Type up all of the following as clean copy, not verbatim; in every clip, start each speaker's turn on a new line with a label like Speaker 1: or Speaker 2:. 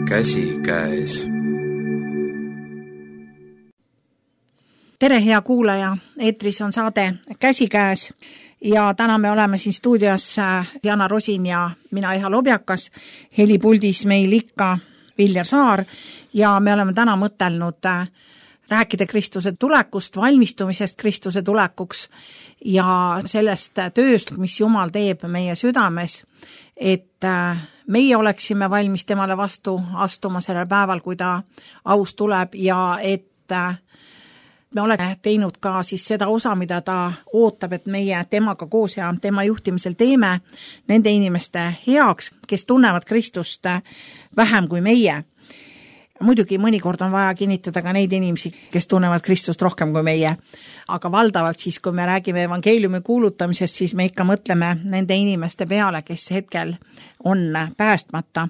Speaker 1: käsikäes.
Speaker 2: Tere, hea kuulaja! Eetris on saade Käsikäes ja täna me oleme siin stuudios Jana Rosin ja mina Eha Lobjakas. Helipuldis meil ikka Viljar Saar ja me oleme täna mõtelnud rääkida Kristuse tulekust, valmistumisest Kristuse tulekuks ja sellest tööst, mis Jumal teeb meie südames, et meie oleksime valmis temale vastu astuma sellel päeval, kui ta aus tuleb ja et me oleme teinud ka siis seda osa, mida ta ootab, et meie temaga koos ja tema juhtimisel teeme nende inimeste heaks, kes tunnevad Kristust vähem kui meie. Muidugi mõnikord on vaja kinnitada ka neid inimesi, kes tunnevad Kristust rohkem kui meie. Aga valdavalt siis, kui me räägime evangeeliumi kuulutamisest, siis me ikka mõtleme nende inimeste peale, kes hetkel on päästmata.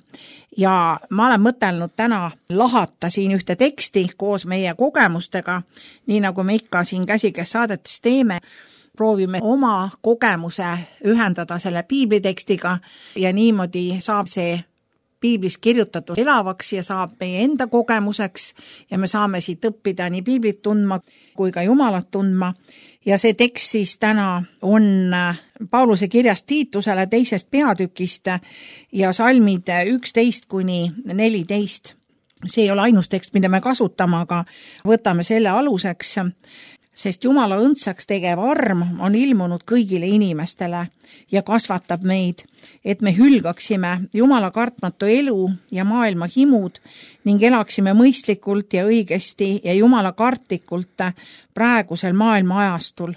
Speaker 2: Ja ma olen mõtelnud täna lahata siin ühte teksti koos meie kogemustega, nii nagu me ikka siin Käsikäes saadetes teeme. Proovime oma kogemuse ühendada selle piiblitekstiga ja niimoodi saab see piiblis kirjutatud elavaks ja saab meie enda kogemuseks ja me saame siit õppida nii piiblit tundma kui ka Jumalat tundma. Ja see tekst siis täna on Pauluse kirjast Tiitusele 2. peatükist ja salmid 11-14. See ei ole ainus tekst, mida me kasutame, aga võtame selle aluseks. Sest Jumala õndsaks tegev arm on ilmunud kõigile inimestele ja kasvatab meid, et me hülgaksime Jumala kartmatu elu ja maailma himud ning elaksime mõistlikult ja õigesti ja Jumala kartlikult praegusel maailma ajastul,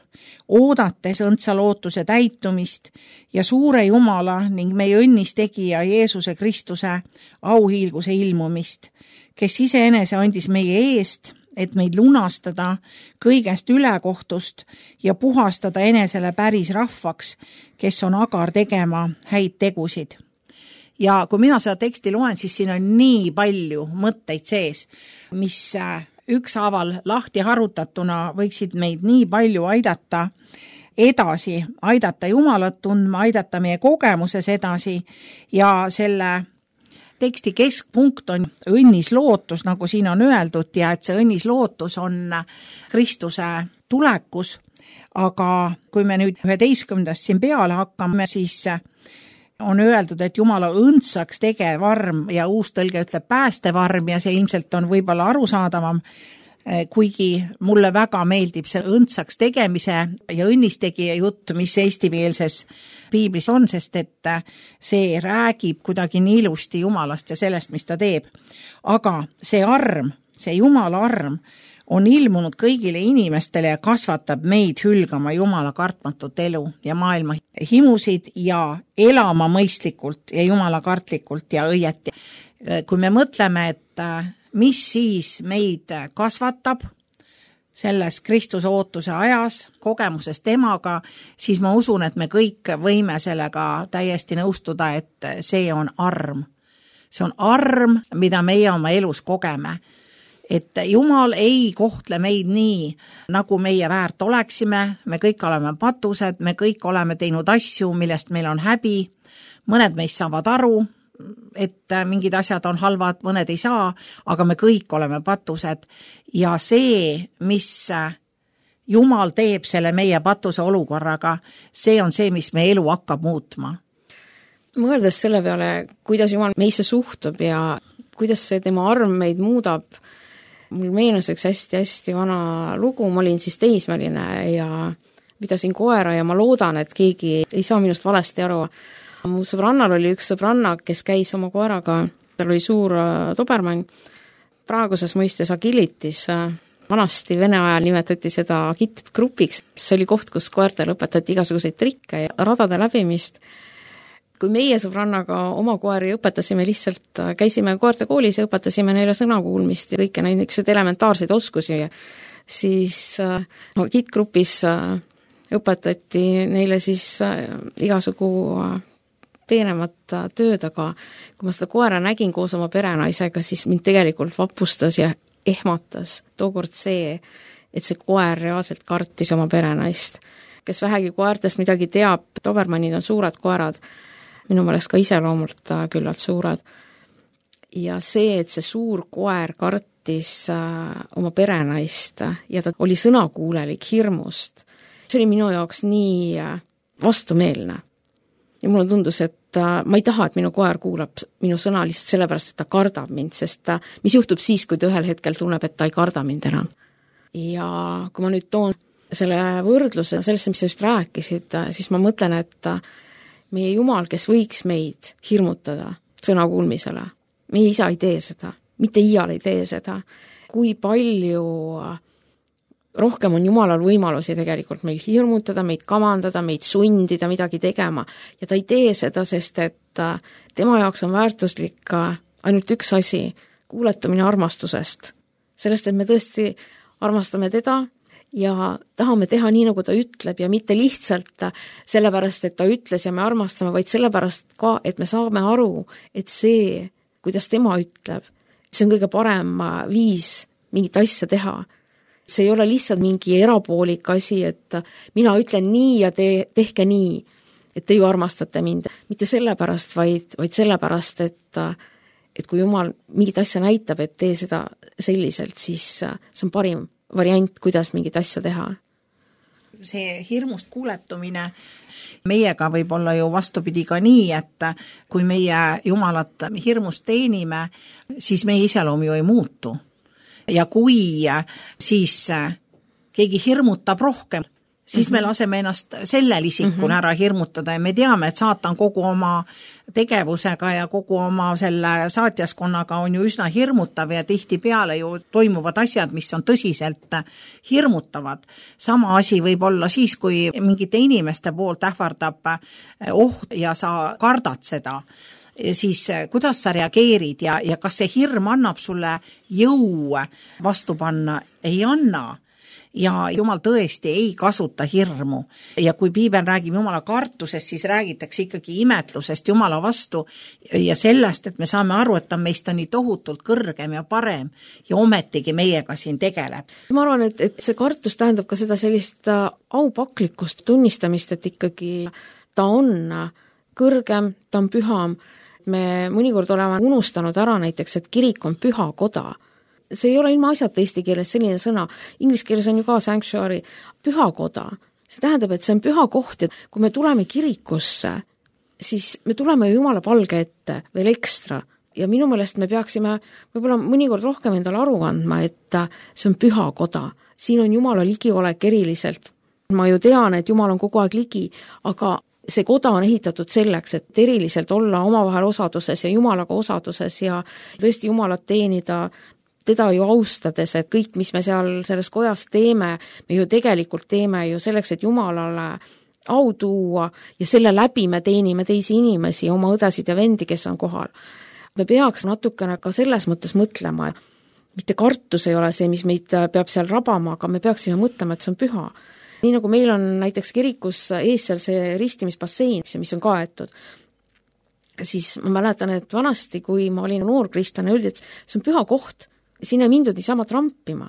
Speaker 2: oodates õndsa lootuse täitumist ja suure Jumala ning meie õnnistegija Jeesuse Kristuse auhiilguse ilmumist, kes iseenese andis meie eest, et meid lunastada kõigest ülekohtust ja puhastada enesele päris rahvaks, kes on agar tegema häid tegusid. Ja kui mina seda teksti loen, siis siin on nii palju mõtteid sees, mis ükshaaval lahti harutatuna võiksid meid nii palju aidata edasi, aidata Jumalat tundma, aidata meie kogemuses edasi ja selle teksti keskpunkt on õnnis lootus, nagu siin on öeldud, ja et see õnnis lootus on Kristuse tulekus, aga kui me nüüd 11. siin peale hakkame, siis on öeldud, et Jumala õndsaks tegev arm ja uus tõlge ütleb päästev arm ja see ilmselt on võib-olla arusaadavam, kuigi mulle väga meeldib see õndsaks tegemise ja õnnistegija jutt, mis eestimeelses piiblis on, sest et see räägib kuidagi nii ilusti Jumalast ja sellest, mis ta teeb. Aga see arm, see Jumala arm on ilmunud kõigile inimestele ja kasvatab meid hülgama Jumala kartmatut elu ja maailma himusid ja elama mõistlikult ja Jumala kartlikult ja õieti. Kui me mõtleme, et mis siis meid kasvatab selles Kristuse ootuse ajas, kogemuses temaga, siis ma usun, et me kõik võime sellega täiesti nõustuda, et see on arm. See on arm, mida meie oma elus kogeme. Et Jumal ei kohtle meid nii, nagu meie väärt oleksime, me kõik oleme patused, me kõik oleme teinud asju, millest meil on häbi, mõned meist saavad aru, et mingid asjad on halvad, mõned ei saa, aga me kõik oleme patused ja see, mis Jumal teeb selle meie patuse olukorraga, see on see, mis meie elu hakkab muutma.
Speaker 3: Mõeldes selle peale, kuidas Jumal meisse suhtub ja kuidas see tema arm meid muudab, mul meenus üks hästi vana lugu, ma olin siis teismeline ja pidasin koera ja ma loodan, et keegi ei saa minust valesti aru. Mu sõbrannal oli üks sõbranna, kes käis oma koeraga, tal oli suur dobermann, praeguses mõistes agilitis, vanasti Vene ajal nimetati seda agitgrupiks, see oli koht, kus koertele õpetati igasuguseid trikke ja radade läbimist. Kui meie sõbrannaga oma koeri õpetasime lihtsalt, käisime koerte koolis ja õpetasime neile sõnakuulmist ja kõike neid elementaarseid oskusi, siis agitgrupis õpetati neile siis igasugu peenemat tööd, aga kui ma seda koera nägin koos oma perenaisega, siis mind tegelikult vapustas ja ehmatas tookord see, et see koer reaalselt kartis oma perenaist. Kes vähegi koertest midagi teab, dobermannid on suured koerad, minu meelest ka iseloomult küllalt suured. ja see, et see suur koer kartis oma perenaist ja ta oli sõnakuulelik hirmust, see oli minu jaoks nii vastumeelne. Ja mulle tundus, et ma ei taha, et minu koer kuulab minu sõna lihtsalt sellepärast, et ta kardab mind, sest mis juhtub siis, kui ta ühel hetkel tunneb, et ta ei karda mind enam. Ja kui ma nüüd toon selle võrdluse sellesse, mis sa just rääkisid, siis ma mõtlen, et meie Jumal, kes võiks meid hirmutada sõnakuulmisele, meie isa ei tee seda, mitte iial ei tee seda. Kui palju rohkem on Jumalal võimalusi tegelikult meil hirmutada, meid kamandada, meid sundida midagi tegema. Ja ta ei tee seda, sest et tema jaoks on väärtuslik ainult üks asi, kuuletumine armastusest. Sellest, et me tõesti armastame teda ja tahame teha nii, nagu ta ütleb ja mitte lihtsalt sellepärast, et ta ütles ja me armastame, vaid sellepärast ka, et me saame aru, et see, kuidas tema ütleb, see on kõige parem viis mingit asja teha. See ei ole lihtsalt mingi erapoolik asi, et mina ütlen nii ja tehke nii, et te ju armastate mind. Mitte sellepärast, vaid sellepärast, et kui Jumal mingit asja näitab, et tee seda selliselt, siis see on parim variant, kuidas mingit asja teha.
Speaker 2: See hirmust kuuletumine meiega võib olla ju vastupidi ka nii, et kui meie Jumalat hirmust teenime, siis meie iseloom ju ei muutu. Ja kui siis keegi hirmutab rohkem, siis me laseme ennast sellel isikul ära hirmutada ja me teame, et saatan kogu oma tegevusega ja kogu oma selle saatjaskonnaga on ju üsna hirmutav ja tihtipeale ju toimuvad asjad, mis on tõsiselt hirmutavad. Sama asi võib olla siis, kui mingite inimeste poolt ähvardab oht ja sa kardad seda. Siis kuidas sa reageerid ja kas see hirm annab sulle jõu vastu panna? Ei anna. Ja Jumal tõesti ei kasuta hirmu. Ja kui Piibel räägib Jumala kartusest, siis räägitakse ikkagi imetlusest Jumala vastu ja sellest, et me saame aru, et ta meist on nii tohutult kõrgem ja parem ja ometigi meiega siin tegeleb.
Speaker 3: Ma arvan, et see kartus tähendab ka seda sellist aupaklikust tunnistamist, et ikkagi ta on kõrgem, ta on püham. Me mõnikord oleme unustanud ära näiteks, et kirik on püha koda. See ei ole ilma asjata eesti keeles selline sõna. Inglise keeles on ju ka sanctuary, püha koda. See tähendab, et see on püha koht, et kui me tuleme kirikusse, siis me tuleme ju Jumala palge ette veel ekstra. Ja minu meelest me peaksime võib-olla mõnikord rohkem endale aru andma, et see on püha koda. Siin on Jumala ligiolek eriliselt. Ma ju tean, et Jumal on kogu aeg ligi, aga see koda on ehitatud selleks, et eriliselt olla omavahel osaduses ja Jumalaga osaduses ja tõesti Jumalat teenida, teda ju austades, et kõik, mis me seal selles kojas teeme, me ju tegelikult teeme ju selleks, et Jumalale au tuua ja selle läbi me teenime teisi inimesi, oma õdesid ja vendi, kes on kohal. Me peaks natukene ka selles mõttes mõtlema, et mitte kartus ei ole see, mis meid peab seal rabama, aga me peaksime mõtlema, et see on püha. Nii nagu meil on näiteks kirikus ees seal see ristimisbassein, mis on kaetud, siis ma mäletan, et vanasti, kui ma olin noor kristlane, öeldi, et see on püha koht, sinna mindud niisama trampima.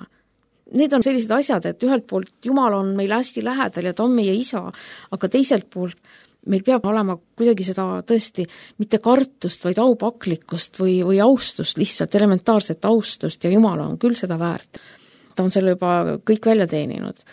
Speaker 3: Need on sellised asjad, et ühelt poolt Jumal on meil hästi lähedal ja ta on meie isa, aga teiselt poolt meil peab olema kuidagi seda tõesti mitte kartust, vaid aupaklikkust või austust, lihtsalt elementaarset austust ja Jumal on küll seda väärt. Ta on selle juba kõik välja teeninud.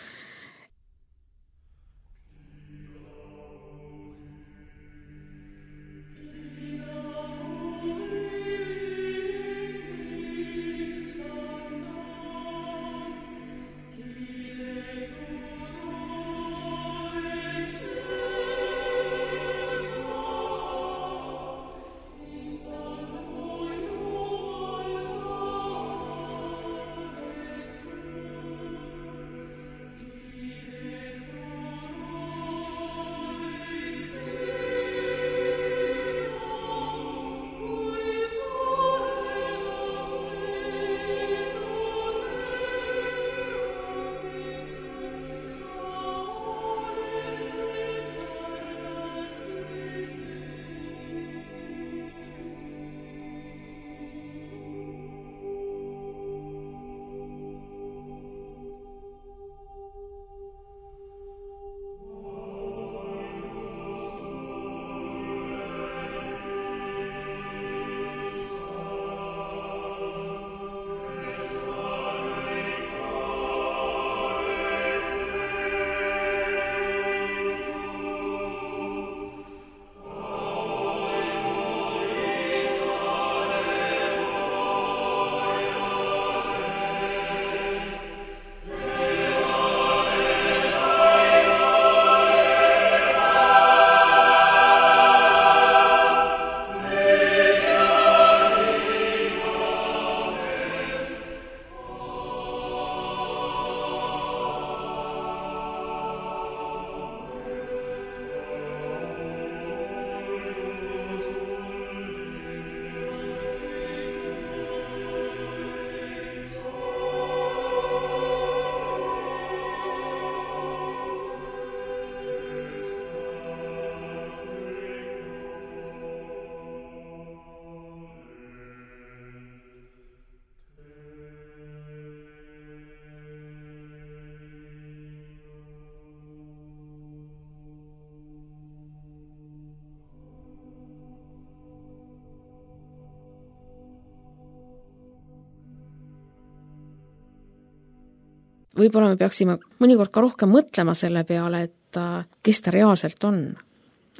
Speaker 3: võib-olla me peaksime mõnikord ka rohkem mõtlema selle peale, et kes ta reaalselt on.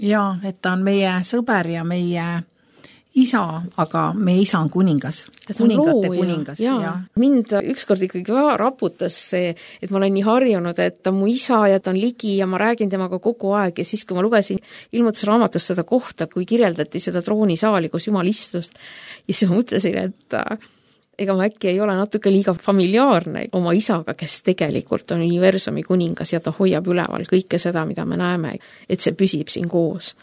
Speaker 2: Jaa, et ta on meie sõber ja meie isa, aga meie isa on kuningas. Kuningate kuningas. Ja.
Speaker 3: Mind ükskord ikkagi raputas see, et ma olen nii harjunud, et ta on mu isa ja ta on ligi ja ma räägin temaga kogu aeg ja siis, kui ma lugesin ilmutusraamatust seda kohta, kui kirjeldati seda troonisaali, kus Jumal istust, ja siis ma mõtlesin, et ega ma äkki ei ole natuke liiga familiaarne oma isaga, kes tegelikult on universumi kuningas ja ta hoiab üleval kõike seda, mida me näeme, et see püsib siin koos.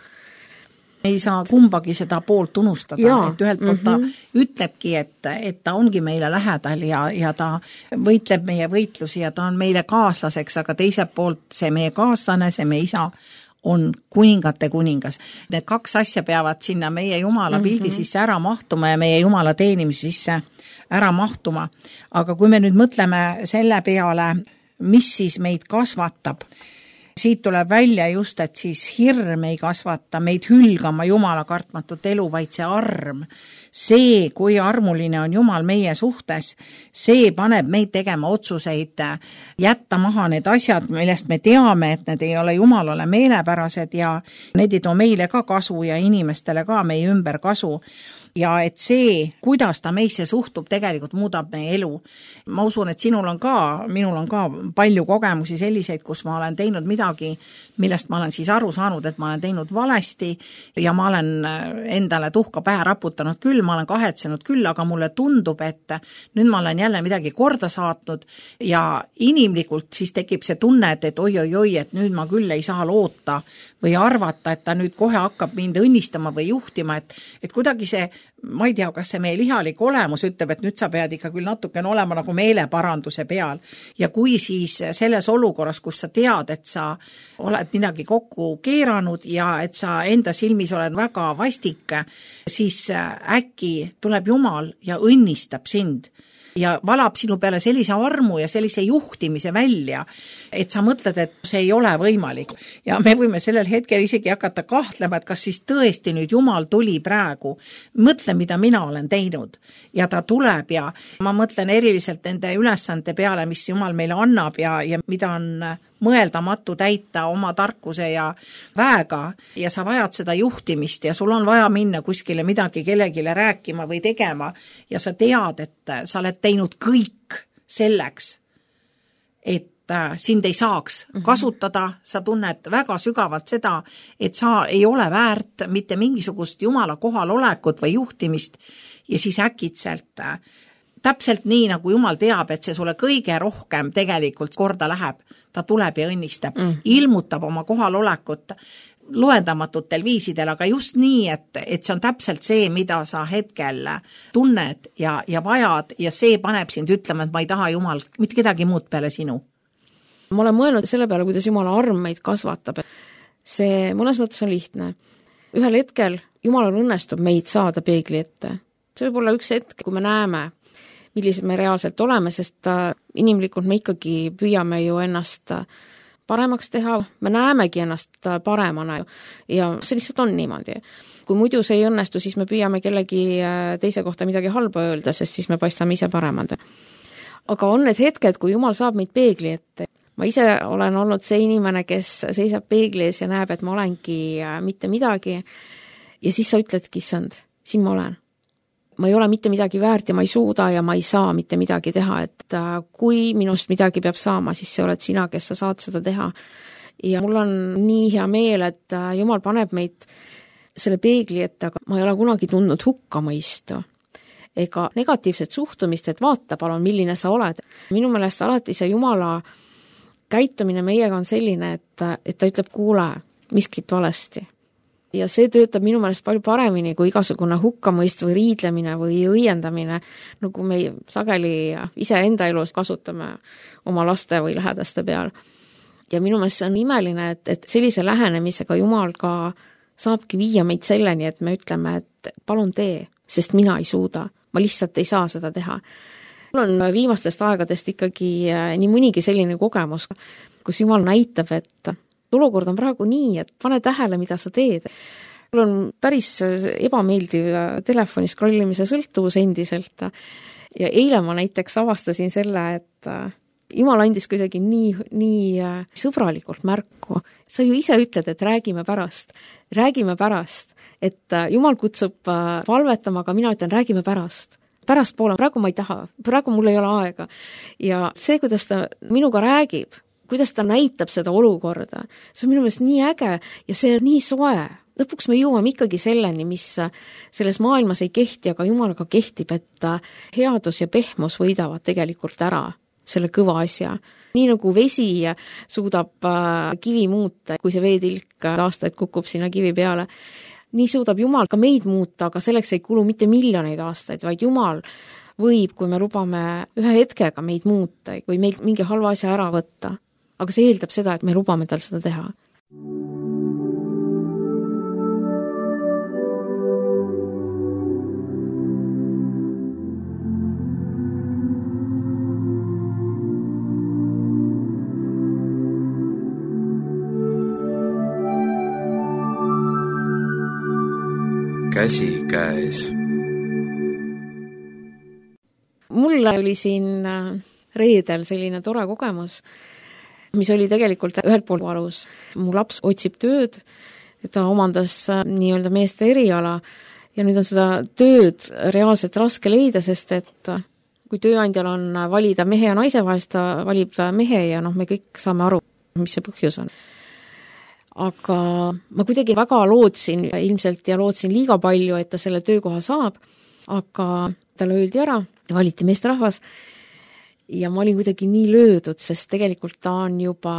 Speaker 2: Ei saa kumbagi seda poolt unustada, et ühelt poolt ta ütlebki, et ta ongi meile lähedal ja ta võitleb meie võitlusi ja ta on meile kaaslaseks, aga teiselt poolt see meie kaaslane, see meie isa on kuningate kuningas. Need kaks asja peavad sinna meie Jumala pildi sisse ära mahtuma ja meie Jumala teenimise sisse ära mahtuma. Aga kui me nüüd mõtleme selle peale, mis siis meid kasvatab, siit tuleb välja just, et siis hirm ei kasvata meid hülgama Jumala kartmatut elu, vaid see arm. See, kui armuline on Jumal meie suhtes, see paneb meid tegema otsuseid, jätta maha need asjad, millest me teame, et need ei ole Jumalale meelepärased ja need ei too meile ka kasu ja inimestele ka meie ümber kasu. Ja et see, kuidas ta meisse suhtub, tegelikult muudab meie elu. Ma usun, et minul on ka palju kogemusi selliseid, kus ma olen teinud midagi, millest ma olen siis aru saanud, et ma olen teinud valesti ja ma olen endale tuhka pähe raputanud küll, ma olen kahetsenud küll, aga mulle tundub, et nüüd ma olen jälle midagi korda saatnud ja inimlikult siis tekib see tunne, et oi, et nüüd ma küll ei saa loota või arvata, et ta nüüd kohe hakkab mind õnnistama või juhtima, et kuidagi see, ma ei tea, kas see meie lihalik olemus ütleb, et nüüd sa pead ikka küll natukene olema nagu meeleparanduse peal. Ja kui siis selles olukorras, kus sa tead, et sa oled midagi kokku keeranud ja et sa enda silmis oled väga vastik, siis äkki tuleb Jumal ja õnnistab sind ja valab sinu peale sellise armu ja sellise juhtimise välja, et sa mõtled, et see ei ole võimalik. Ja me võime sellel hetkel isegi hakata kahtlema, et kas siis tõesti nüüd Jumal tuli praegu. Mõtle, mida mina olen teinud. Ja ta tuleb ja ma mõtlen eriliselt nende ülesande peale, mis Jumal meile annab ja mida on mõeldamatu täita oma tarkuse ja väega ja sa vajad seda juhtimist ja sul on vaja minna kuskile midagi kellegile rääkima või tegema ja sa tead, et sa oled teinud kõik selleks, et sind ei saaks kasutada, sa tunned väga sügavalt seda, et sa ei ole väärt mitte mingisugust Jumala kohalolekut või juhtimist ja siis äkitselt täpselt nii, nagu Jumal teab, et see sulle kõige rohkem tegelikult korda läheb, ta tuleb ja õnnistab, ilmutab oma kohalolekut loendamatutel viisidel, aga just nii, et see on täpselt see, mida sa hetkel tunned ja vajad ja see paneb sind ütlema, et ma ei taha Jumal mitte kedagi muud peale sinu.
Speaker 3: Ma olen mõelnud selle peale, kuidas Jumala arm meid kasvatab. See mõnes mõttes on lihtne. Ühel hetkel Jumalal õnnestub meid saada peegli ette. See võib olla üks hetk, kui me näeme, millised me reaalselt oleme, sest inimlikult me ikkagi püüame ju ennast paremaks teha, me näemegi ennast paremana ja see lihtsalt on niimoodi. Kui muidu see ei õnnestu, siis me püüame kellegi teise kohta midagi halba öelda, sest siis me paistame ise paremad. Aga on need hetked, kui Jumal saab meid peegli ette. Ma ise olen olnud see inimene, kes seisab peegli ees ja näeb, et ma olengi mitte midagi ja siis sa ütledki, issand, siin ma olen. Ma ei ole mitte midagi väärt ja ma ei suuda ja ma ei saa mitte midagi teha, et kui minust midagi peab saama, siis see oled sina, kes sa saad seda teha. Ja mul on nii hea meel, et Jumal paneb meid selle peegli ette, aga ma ei ole kunagi tundnud hukkamõistu ega negatiivset suhtumist, et vaata palun, milline sa oled. Minu meelest alati see Jumala käitumine meiega on selline, et ta ütleb, kuule, miskit valesti. Ja see töötab minu meelest palju paremini kui igasugune hukkamõist või riidlemine või õiendamine, nagu me sageli ise enda elus kasutame oma laste või lähedaste peal. Ja minu meelest see on imeline, et sellise lähenemisega Jumal ka saabki viia meid selleni, et me ütleme, et palun tee, sest mina ei suuda, ma lihtsalt ei saa seda teha. Mul on viimastest aegadest ikkagi nii mõnigi selline kogemus, kus Jumal näitab, et olukord on praegu nii, et pane tähele, mida sa teed. Mul on päris ebameeldiv telefoni scrollimise sõltuvus endiselt ja eile ma näiteks avastasin selle, et Jumal andis kuidagi nii sõbralikult märku. Sa ju ise ütled, et räägime pärast, et Jumal kutsub palvetama, aga mina ütlen, räägime pärast. Pärastpoole, praegu ma ei taha, praegu mul ei ole aega. Ja see, kuidas ta minuga räägib, kuidas ta näitab seda olukorda, see on minu meelest nii äge ja see on nii soe. Lõpuks me jõuame ikkagi selleni, mis selles maailmas ei kehti, aga Jumalaga kehtib, et headus ja pehmus võidavad tegelikult ära selle kõva asja. Nii nagu vesi suudab kivi muuta, kui see veetilk aastaid kukub sinna kivi peale, nii suudab Jumal ka meid muuta, aga selleks ei kulu mitte miljoneid aastaid, vaid Jumal võib, kui me lubame ühe hetkega meid muuta või meilt mingi halva asja ära võtta. Aga see eeldab seda, et me lubame tal seda teha.
Speaker 1: Käsi käes.
Speaker 3: Mul oli siin reedel selline tore kogemus, mis oli tegelikult ühelt poolt valus. Mu laps otsib tööd, ta omandas nii-öelda meeste eriala ja nüüd on seda tööd reaalselt raske leida, sest et kui tööandjal on valida mehe ja naise vahest, ta valib mehe ja me kõik saame aru, mis see põhjus on. Aga ma kuidagi väga lootsin ilmselt ja lootsin liiga palju, et ta selle töökoha saab, aga talle öeldi ära, valiti meesterahvas ja ma olin kuidagi nii löödud, sest tegelikult ta on juba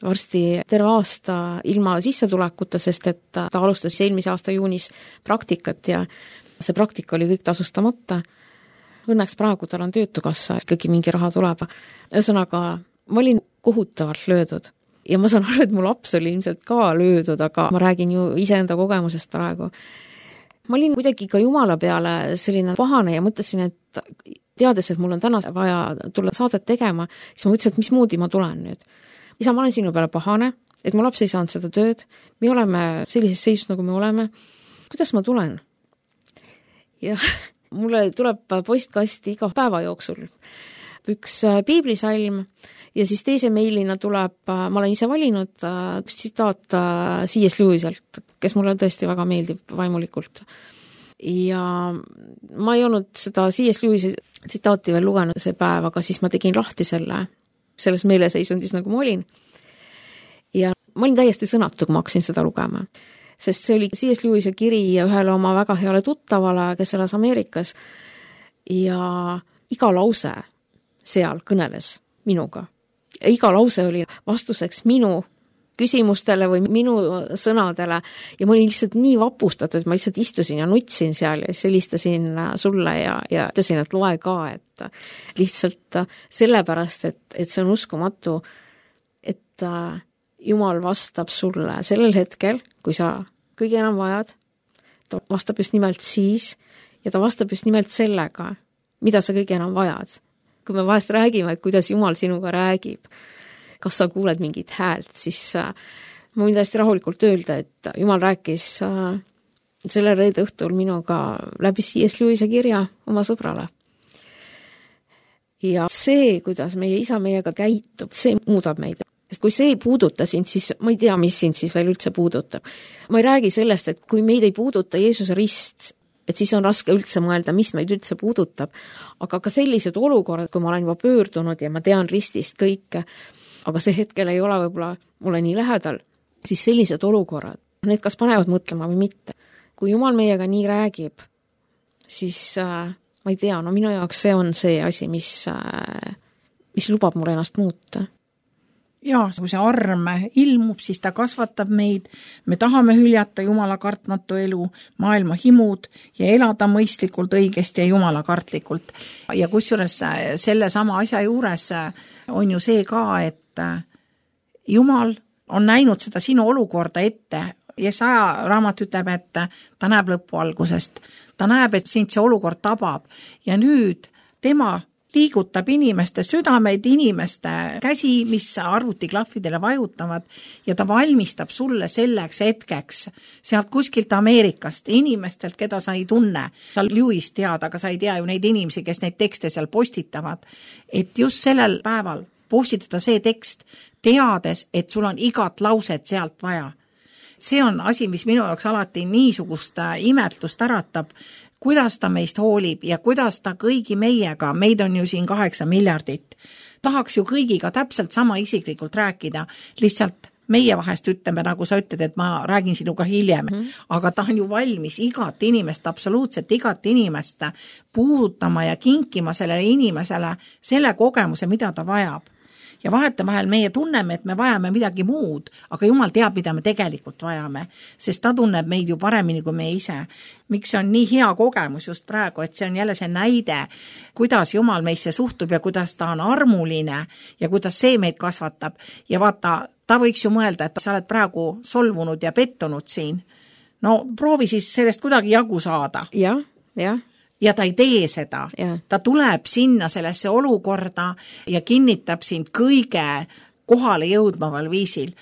Speaker 3: varsti terve aasta ilma sissetulekuta, sest et ta alustas eelmise aasta juunis praktikat ja see praktika oli kõik tasustamata. Õnneks praegu tal on töötukassa, ikkagi mingi raha tuleb. Ühesõnaga, ma olin kohutavalt löödud. Ja ma saan aru, et mu laps oli ilmselt ka löödud, aga ma räägin ju iseenda kogemusest praegu. Ma olin kuidagi ka Jumala peale selline pahane ja mõtlesin, et teades, et mul on täna vaja tulla saadet tegema, siis ma mõtlesin, et mismoodi ma tulen nüüd. Isa, ma olen sinu peale pahane, et mu laps ei saanud seda tööd, me oleme sellises seisus, nagu me oleme. Kuidas ma tulen? Ja mulle tuleb postkasti iga päeva jooksul üks piiblisalm ja siis teise meilina tuleb, ma olen ise valinud üks tsitaat C.S. Lewiselt, kes mulle tõesti väga meeldib vaimulikult. Ja ma ei olnud seda C.S. Lewisi tsitaati veel lugenud see päev, aga siis ma tegin lahti selles meeleseisundis, nagu ma olin. Ja ma olin täiesti sõnatu, kui ma hakkasin seda lugema. Sest see oli C.S. Lewise kiri ühele oma väga heale tuttavale, kes elas Ameerikas. Ja iga lause seal kõneles minuga. Ja iga lause oli vastuseks minu küsimustele või minu sõnadele ja ma olin lihtsalt nii vapustatud, et ma lihtsalt istusin ja nutsin seal ja helistasin sulle ja ütlesin, et loe ka, et lihtsalt sellepärast, et see on uskumatu, et Jumal vastab sulle sellel hetkel, kui sa kõige enam vajad, ta vastab just nimelt siis ja ta vastab just nimelt sellega, mida sa kõige enam vajad. Kui me vahest räägime, et kuidas Jumal sinuga räägib, kas sa kuuled mingit häält, siis ma võin täiesti rahulikult öelda, et Jumal rääkis selle reede õhtul minuga läbi C.S. Lewise kirja oma sõbrale. Ja see, kuidas meie isa meiega käitub, see muudab meid. Sest kui see ei puuduta sind, siis ma ei tea, mis sind siis veel üldse puudutab. Ma ei räägi sellest, et kui meid ei puuduta Jeesuse rist, et siis on raske üldse mõelda, mis meid üldse puudutab. Aga ka sellised olukorrad, kui ma olen juba pöördunud ja ma tean ristist kõike, aga see hetkel ei ole võib-olla mulle nii lähedal, siis sellised olukorrad, need kas panevad mõtlema või mitte. Kui Jumal meiega nii räägib, siis ma ei tea, minu jaoks see on see asi, mis lubab mul ennast muuta.
Speaker 2: Ja, kui see arm ilmub, siis ta kasvatab meid, me tahame hüljata Jumala kartmatu elu, maailma himud ja elada mõistlikult, õigesti ja Jumala kartlikult. Ja kusjuures selle sama asja juures on ju see ka, et Jumal on näinud seda sinu olukorda ette. Jesaja raamat ütleb, et ta näeb lõpu algusest. Ta näeb, et sind see olukord tabab ja nüüd tema liigutab inimeste südameid, inimeste käsi, mis arvutiklahvidele vajutavad ja ta valmistab sulle selleks hetkeks sealt kuskilt Ameerikast, inimestelt, keda sa ei tunne. Sa Lewis tead, aga sa ei tea ju neid inimesi, kes neid tekste seal postitavad. Et just sellel päeval postitada see tekst, teades, et sul on igat lauset sealt vaja. See on asi, mis minu jaoks alati niisugust imetlust äratab, kuidas ta meist hoolib ja kuidas ta kõigi meiega, meid on ju siin 8 miljardit, tahaks ju kõigiga täpselt sama isiklikult rääkida, lihtsalt meie vahest ütleme, nagu sa ütled, et ma räägin sinuga hiljem, aga ta on ju valmis igat inimest, absoluutselt igat inimest puudutama ja kinkima sellele inimesele selle kogemuse, mida ta vajab. Ja vahetevahel meie tunneme, et me vajame midagi muud, aga Jumal teab, mida me tegelikult vajame, sest ta tunneb meid ju paremini kui me ise. Miks see on nii hea kogemus just praegu, et see on jälle see näide, kuidas Jumal meisse suhtub ja kuidas ta on armuline ja kuidas see meid kasvatab. Ja vaata, ta võiks ju mõelda, et sa oled praegu solvunud ja pettunud siin. No proovi siis sellest kuidagi jagu saada.
Speaker 3: Jah.
Speaker 2: Ja ta ei tee seda. Ta tuleb sinna sellesse olukorda ja kinnitab sind kõige kohale jõudmaval viisil.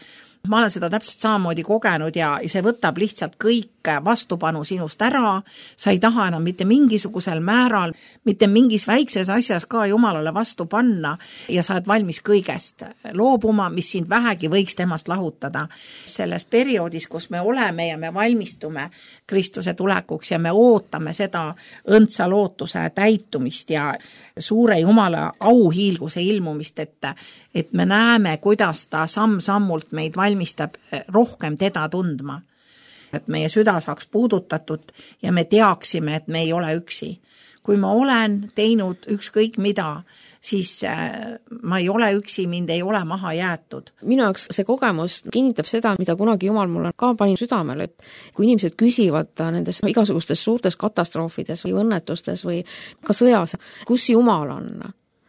Speaker 2: Ma olen seda täpselt samamoodi kogenud ja see võtab lihtsalt kõik vastupanu sinust ära. Sa ei taha enam mitte mingisugusel määral, mitte mingis väikses asjas ka Jumalale vastu panna ja sa oled valmis kõigest loobuma, mis sind vähegi võiks temast lahutada. Selles perioodis, kus me oleme ja me valmistume Kristuse tulekuks ja me ootame seda õndsa lootuse täitumist ja suure Jumala auhiilguse ilmumist, et me näeme, kuidas ta samm-sammult meid valmistab rohkem teda tundma. Et meie süda saaks puudutatud ja me teaksime, et me ei ole üksi. Kui ma olen teinud ükskõik mida, siis ma ei ole üksi, mind ei ole maha jäetud.
Speaker 3: Minu jaoks see kogemus kinnitab seda, mida kunagi Jumal mulle ka pani südamele, et kui inimesed küsivad nendes igasugustes suurtes katastroofides või õnnetustes või ka sõjas, kus Jumal on,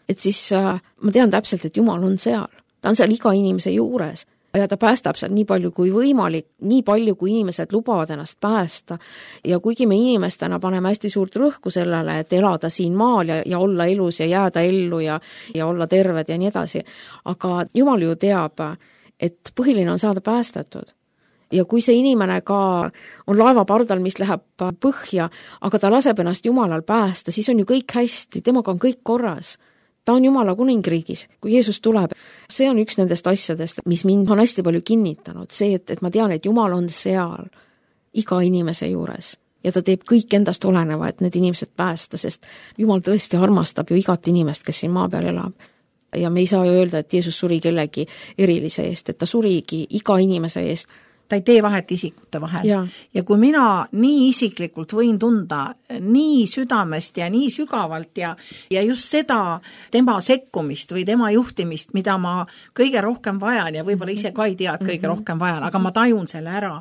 Speaker 3: et siis ma tean täpselt, et Jumal on seal. Ta on seal iga inimese juures. Ja ta päästab seal nii palju kui võimalik, nii palju kui inimesed lubavad ennast päästa. Ja kuigi me inimestena paneme hästi suurt rõhku sellele, et elada siin maal ja olla elus ja jääda ellu ja olla terved ja nii edasi. Aga Jumal ju teab, et põhiline on saada päästetud. Ja kui see inimene ka on laevapardal, mis läheb põhja, aga ta laseb ennast Jumalal päästa, siis on ju kõik hästi, temaga on kõik korras. Ta on Jumala kuningriigis, kui Jeesus tuleb. See on üks nendest asjadest, mis mind on hästi palju kinnitanud. See, et ma tean, et Jumal on seal iga inimese juures. Ja ta teeb kõik endast oleneva, et need inimesed päästa, sest Jumal tõesti armastab ju igat inimest, kes siin maa peal elab. Ja me ei saa ju öelda, et Jeesus suri kellegi erilise eest, et ta surigi iga inimese eest.
Speaker 2: Ta ei tee vahet isikute vahel. Ja kui mina nii isiklikult võin tunda nii südamest ja nii sügavalt ja just seda tema sekkumist või tema juhtimist, mida ma kõige rohkem vajan ja võib-olla ise ka ei tea, et kõige rohkem vajan, aga ma tajun selle ära.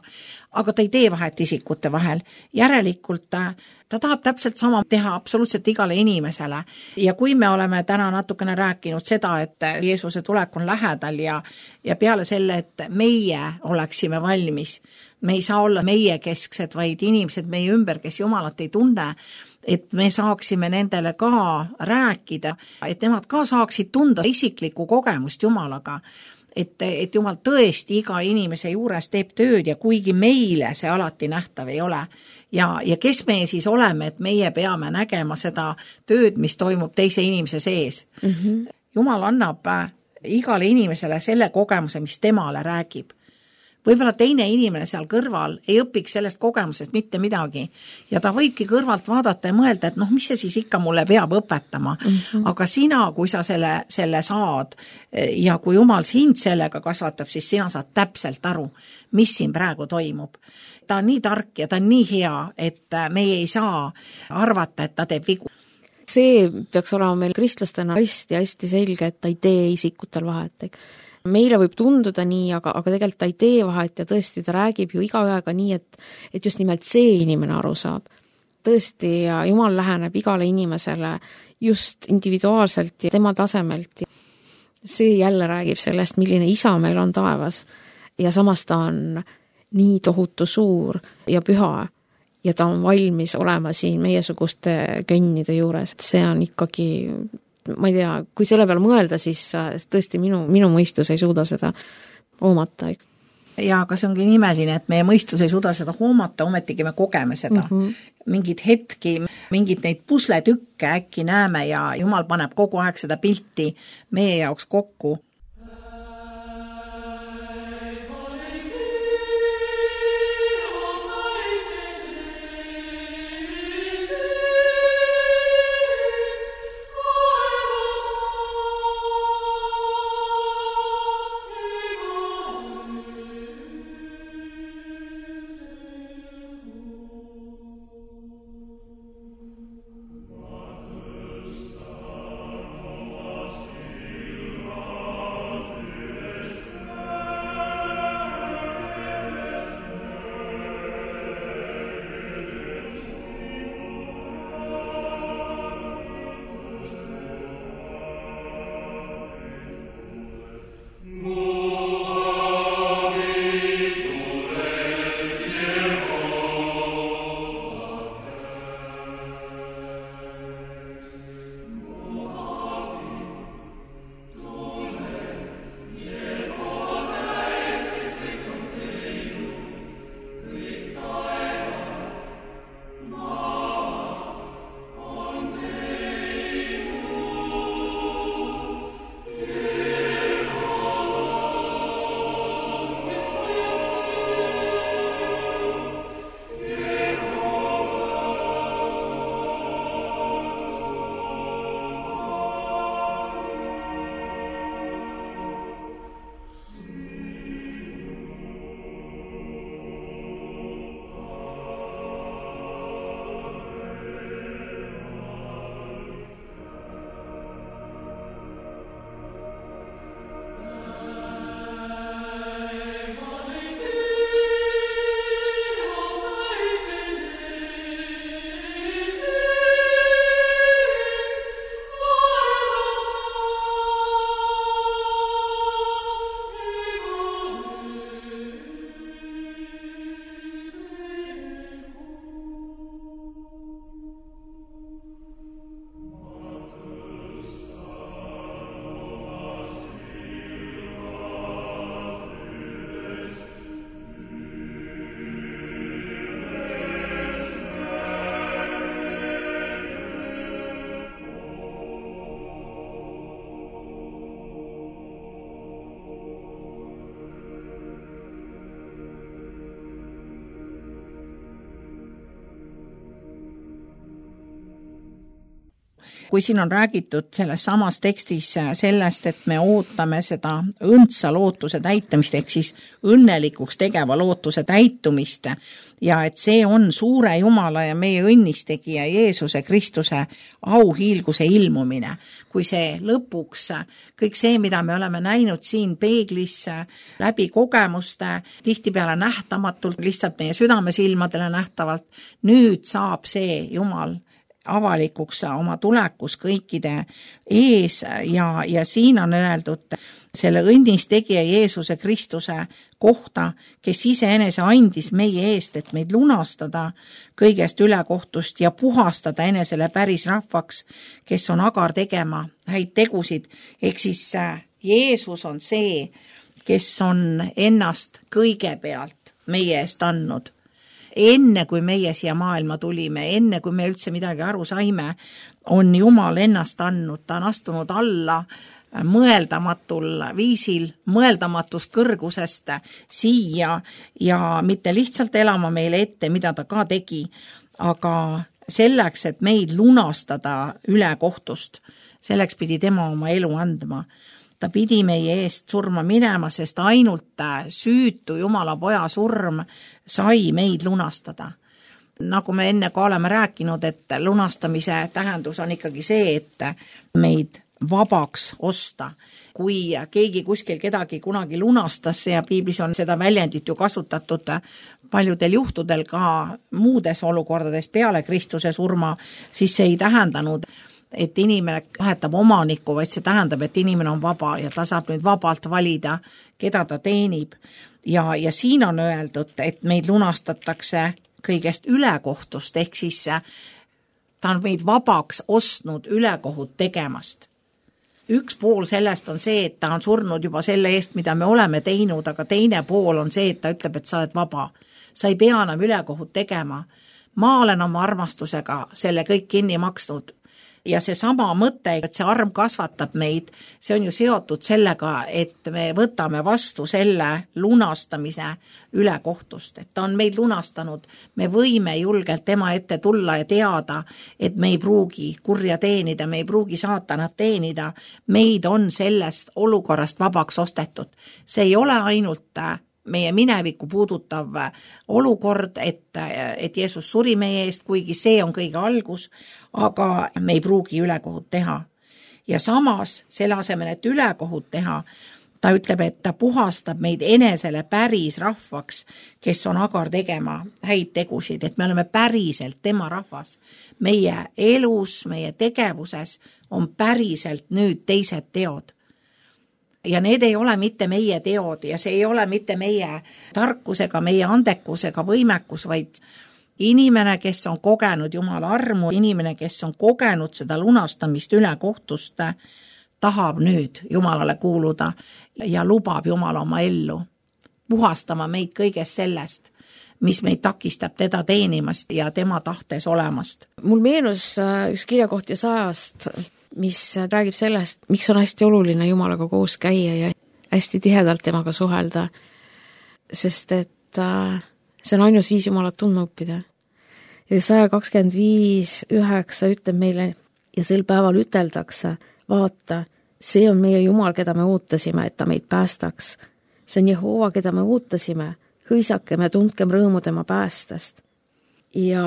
Speaker 2: Aga ta ei tee vahet isikute vahel. Järelikult ta tahab täpselt sama teha absoluutselt igale inimesele. Ja kui me oleme täna natukene rääkinud seda, et Jeesuse tulek on lähedal ja peale selle, et meie oleksime valmis, me ei saa olla meie kesksed, vaid inimesed meie ümber, kes Jumalat ei tunne, et me saaksime nendele ka rääkida, et nemad ka saaksid tunda isiklikku kogemust Jumalaga. Et Jumal tõesti iga inimese juures teeb tööd ja kuigi meile see alati nähtav ei ole. Ja kes me siis oleme, et meie peame nägema seda tööd, mis toimub teise inimese sees. Jumal annab igale inimesele selle kogemuse, mis temale räägib. Võib-olla teine inimene seal kõrval ei õpiks sellest kogemusest mitte midagi ja ta võibki kõrvalt vaadata ja mõelda, et mis see siis ikka mulle peab õpetama. Aga sina, kui sa selle saad ja kui Jumal sind sellega kasvatab, siis sina saad täpselt aru, mis siin praegu toimub. Ta on nii tark ja ta on nii hea, et meie ei saa arvata, et ta teeb vigu.
Speaker 3: See peaks olema meil kristlastena hästi selge, et ta ei tee isikutel vahet. Meile võib tunduda nii, aga tegelikult ta ei tee vahet ja tõesti ta räägib ju igaühega nii, et just nimelt see inimene aru saab. Tõesti, ja Jumal läheneb igale inimesele just individuaalselt ja tema tasemelt. See jälle räägib sellest, milline isa meil on taevas ja samas ta on nii tohutu suur ja püha ja ta on valmis olema siin meiesuguste könnide juures. See on ikkagi ma ei tea, kui selle peale mõelda, siis tõesti minu mõistus ei suuda seda hoomata.
Speaker 2: Ja aga see ongi imeline, et meie mõistus ei suuda seda hoomata, ometigi me kogeme seda. Mingid hetki, mingid neid pusletükke äkki näeme ja Jumal paneb kogu aeg seda pilti meie jaoks kokku. Kui siin on räägitud selles samas tekstis sellest, et me ootame seda õndsa lootuse täitumist, ehk siis õnnelikuks tegeva lootuse täitumist ja et see on suure Jumala ja meie õnnistegija Jeesuse Kristuse auhiilguse ilmumine. Kui see lõpuks kõik see, mida me oleme näinud siin peeglis läbi kogemuste, tihtipeale nähtamatult, lihtsalt meie südamesilmadele nähtavalt, nüüd saab see Jumal avalikuks oma tulekus kõikide ees ja siin on öeldud selle õnnistegija Jeesuse Kristuse kohta, kes iseenese andis meie eest, et meid lunastada kõigest ülekohtust ja puhastada enesele päris rahvaks, kes on agar tegema häid tegusid. Ehk siis Jeesus on see, kes on ennast kõigepealt meie eest andnud. Enne kui meie siia maailma tulime, enne kui me üldse midagi aru saime, on Jumal ennast andnud, ta on astunud alla mõeldamatul viisil, mõeldamatust kõrgusest siia ja mitte lihtsalt elama meile ette, mida ta ka tegi, aga selleks, et meid lunastada ülekohtust, selleks pidi tema oma elu andma. Ta pidi meie eest surma minema, sest ainult süütu Jumala poja surm sai meid lunastada. Nagu me enne ka oleme rääkinud, et lunastamise tähendus on ikkagi see, et meid vabaks osta. Kui keegi kuskil kedagi kunagi lunastas ja piiblis on seda väljendit ju kasutatud paljudel juhtudel ka muudes olukordades peale Kristuse surma, siis see ei tähendanud, et inimene vahetab omanikku, vaid see tähendab, et inimene on vaba ja ta saab nüüd vabalt valida, keda ta teenib. Ja siin on öeldud, et meid lunastatakse kõigest ülekohtust, ehk siis ta on meid vabaks ostnud ülekohut tegemast. üks pool sellest on see, et ta on surnud juba selle eest, mida me oleme teinud, aga teine pool on see, et ta ütleb, et sa oled vaba. Sa ei pea enam ülekohut tegema. Ma olen oma armastusega selle kõik kinni maksnud. Ja see sama mõte, et see arm kasvatab meid, see on ju seotud sellega, et me võtame vastu selle lunastamise ülekohtust, et ta on meid lunastanud. Me võime julgelt tema ette tulla ja teada, et me ei pruugi kurja teenida, me ei pruugi saatanat teenida. Meid on sellest olukorrast vabaks ostetud. See ei ole ainult meie minevikku puudutav olukord, et Jeesus suri meie eest, kuigi see on kõige algus, aga me ei pruugi ülekohut teha. Ja samas, selle asemel, et ülekohut teha, ta ütleb, et ta puhastab meid enesele päris rahvaks, kes on agar tegema häid tegusid, et me oleme päriselt tema rahvas. Meie elus, meie tegevuses on päriselt nüüd teised teod. Ja need ei ole mitte meie teod ja see ei ole mitte meie tarkusega, meie andekusega võimekus, vaid inimene, kes on kogenud Jumala armu, inimene, kes on kogenud seda lunastamist ülekohtust, tahab nüüd Jumalale kuuluda ja lubab Jumala oma ellu puhastama meid kõigest sellest, mis meid takistab teda teenimast ja tema tahtes olemast.
Speaker 3: Mul meenus üks kirjakoht Jesaajast, mis räägib sellest, miks on hästi oluline Jumalaga koos käia ja hästi tihedalt temaga suhelda, sest et see on ainus viis Jumalat tundma õppida. Ja 125:9 ütleb meile ja sel päeval üteldakse, vaata, see on meie Jumal, keda me ootasime, et ta meid päästaks. See on Jehova, keda me ootasime, hõisakem ja tundkem rõõmu tema päästest. Ja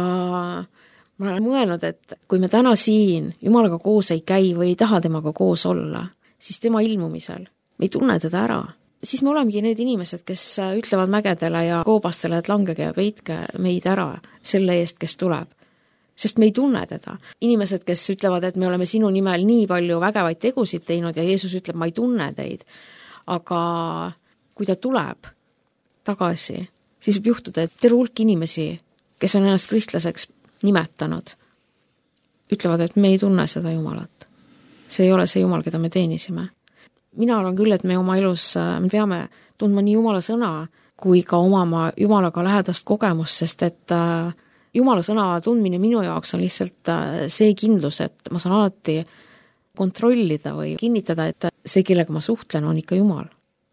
Speaker 3: ma olen mõelnud, et kui me täna siin Jumalaga koos ei käi või ei taha temaga koos olla, siis tema ilmumisel me ei tunne teda ära. Siis me olemegi need inimesed, kes ütlevad mägedele ja koobastele, et langege ja peitke meid ära selle eest, kes tuleb. Sest me ei tunne teda. Inimesed, kes ütlevad, et me oleme sinu nimel nii palju vägevaid tegusid teinud ja Jeesus ütleb, ma ei tunne teid. Aga kui ta tuleb tagasi, siis võib juhtuda, et terve hulk inimesi, kes on ennast kristlaseks nimetanud, ütlevad, et me ei tunne seda Jumalat. See ei ole see Jumal, keda me teenisime. Mina arvan küll, et me oma elus me peame tundma nii Jumala sõna, kui ka omama Jumalaga lähedast kogemust, sest et Jumala sõna tundmine minu jaoks on lihtsalt see kindlus, et ma saan alati kontrollida või kinnitada, et see, kellega ma suhtlen, on ikka Jumal,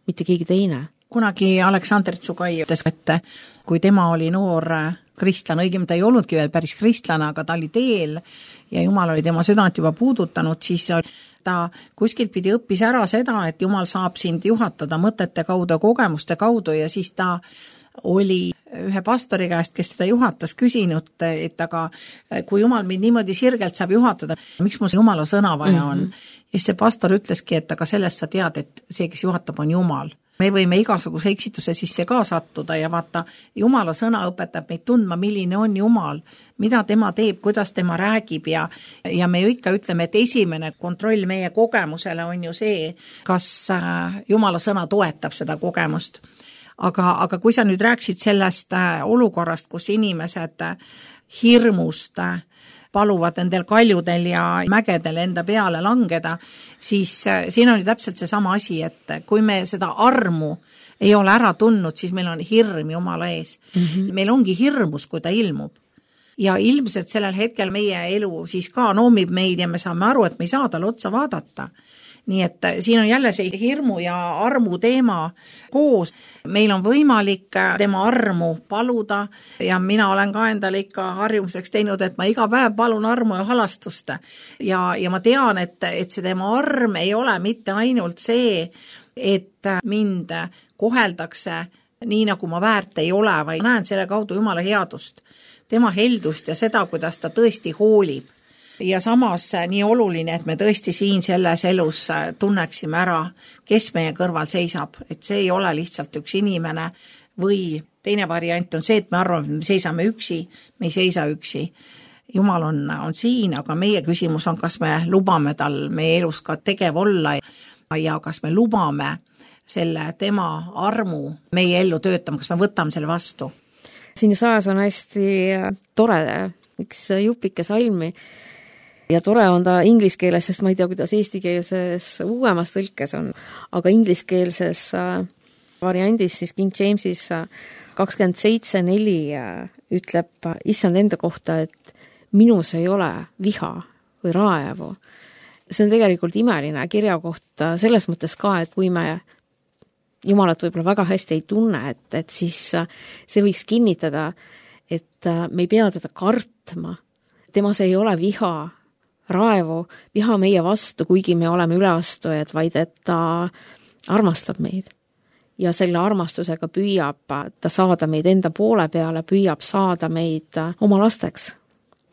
Speaker 3: mitte keegi teine.
Speaker 2: Kunagi Aleksander Tsugai ütles, et kui tema oli noor kristlane, õigem ta ei olnudki veel päris kristlane, aga ta oli teel ja Jumal oli tema südant juba puudutanud, siis ta kuskilt pidi õppis ära seda, et Jumal saab sind juhatada mõtete kaudu, kogemuste kaudu ja siis ta oli ühe pastori käest, kes teda juhatas, küsinud, et aga kui Jumal mind niimoodi sirgelt saab juhatada, miks mul Jumala sõna vaja on? Ja see pastor ütleski, et aga sellest sa tead, et see, kes juhatab, on Jumal. Me võime igasuguse eksituse sisse ka sattuda ja vaata, Jumala sõna õpetab meid tundma, milline on Jumal, mida tema teeb, kuidas tema räägib ja me ju ikka ütleme, et esimene kontroll meie kogemusele on ju see, kas Jumala sõna toetab seda kogemust. Aga kui sa nüüd rääksid sellest olukorrast, kus inimesed hirmust paluvad endel kaljudel ja mägedel enda peale langeda, siis siin on ju täpselt see sama asi, et kui me seda armu ei ole ära tundnud, siis meil on hirm Jumala ees. Meil ongi hirmus, kui ta ilmub. Ja ilmselt sellel hetkel meie elu siis ka noomib meid ja me saame aru, et me ei saa talle otsa vaadata. Nii et siin on jälle see hirmu ja armu teema koos. Meil on võimalik tema armu paluda ja mina olen ka endale ikka harjumuseks teinud, et ma iga päev palun armu ja halastust. Ja ma tean, et see tema arm ei ole mitte ainult see, et mind koheldakse nii, nagu ma väärt ei ole, vaid näen selle kaudu Jumala headust, tema heldust ja seda, kuidas ta tõesti hoolib. Ja samas nii oluline, et me tõesti siin selles elus tunneksime ära, kes meie kõrval seisab, et see ei ole lihtsalt üks inimene või teine variant on see, et me arvame, et me seisame üksi, me ei seisa üksi. Jumal on siin, aga meie küsimus on, kas me lubame tal meie elus ka tegev olla ja kas me lubame selle tema armu meie ellu töötama, kas me võtame selle vastu.
Speaker 3: Siin Jesajas on hästi tore, üks jupike salmi, ja tore on ta inglise keeles, sest ma ei tea, kuidas eestikeelses uuemas tõlkes on, aga ingliskeelses variandis siis King Jamesis 27:4 ütleb issand enda kohta, et minus ei ole viha või raevu. See on tegelikult imeline kirja kohta selles mõttes ka, et kui me Jumalat võib-olla väga hästi ei tunne, et siis see võiks kinnitada, et me ei pea teda kartma. Temas ei ole viha, raevu, viha meie vastu, kuigi me oleme üleastujad, vaid et ta armastab meid. Ja selle armastusega püüab ta saada meid enda poole peale, püüab saada meid oma lasteks.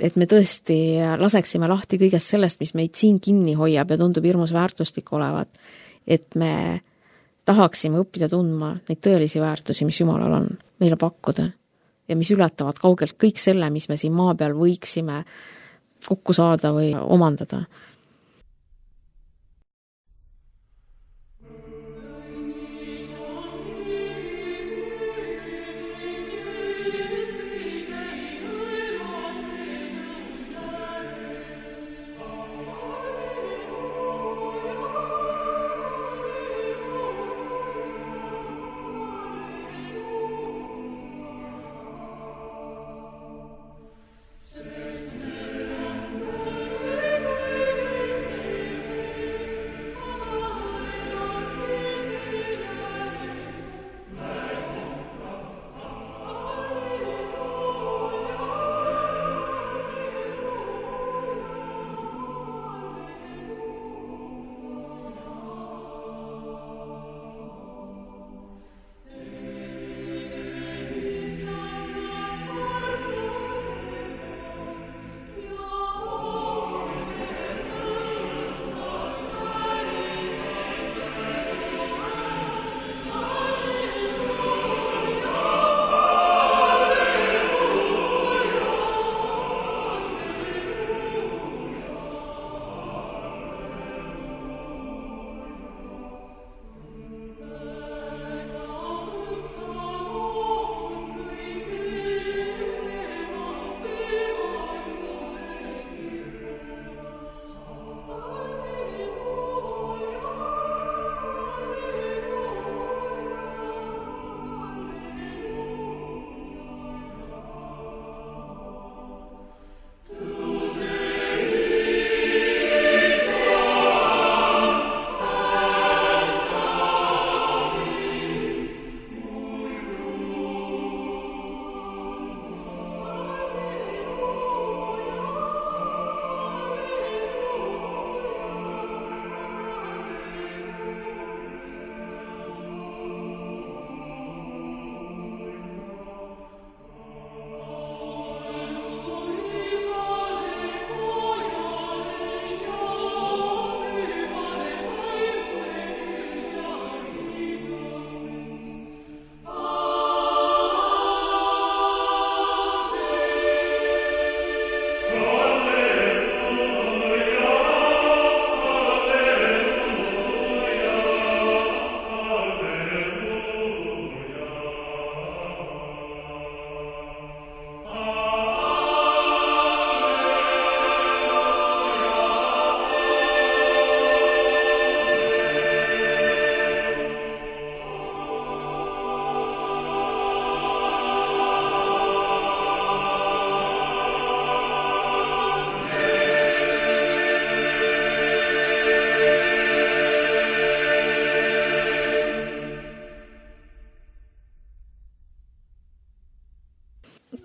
Speaker 3: Et me tõesti laseksime lahti kõigest sellest, mis meid siin kinni hoiab ja tundub hirmus väärtuslik olevat. Et me tahaksime õppida tundma neid tõelisi väärtusi, mis Jumalal on meile pakkuda ja mis ületavad kaugelt kõik selle, mis me siin maa peal võiksime kokku saada või omandada.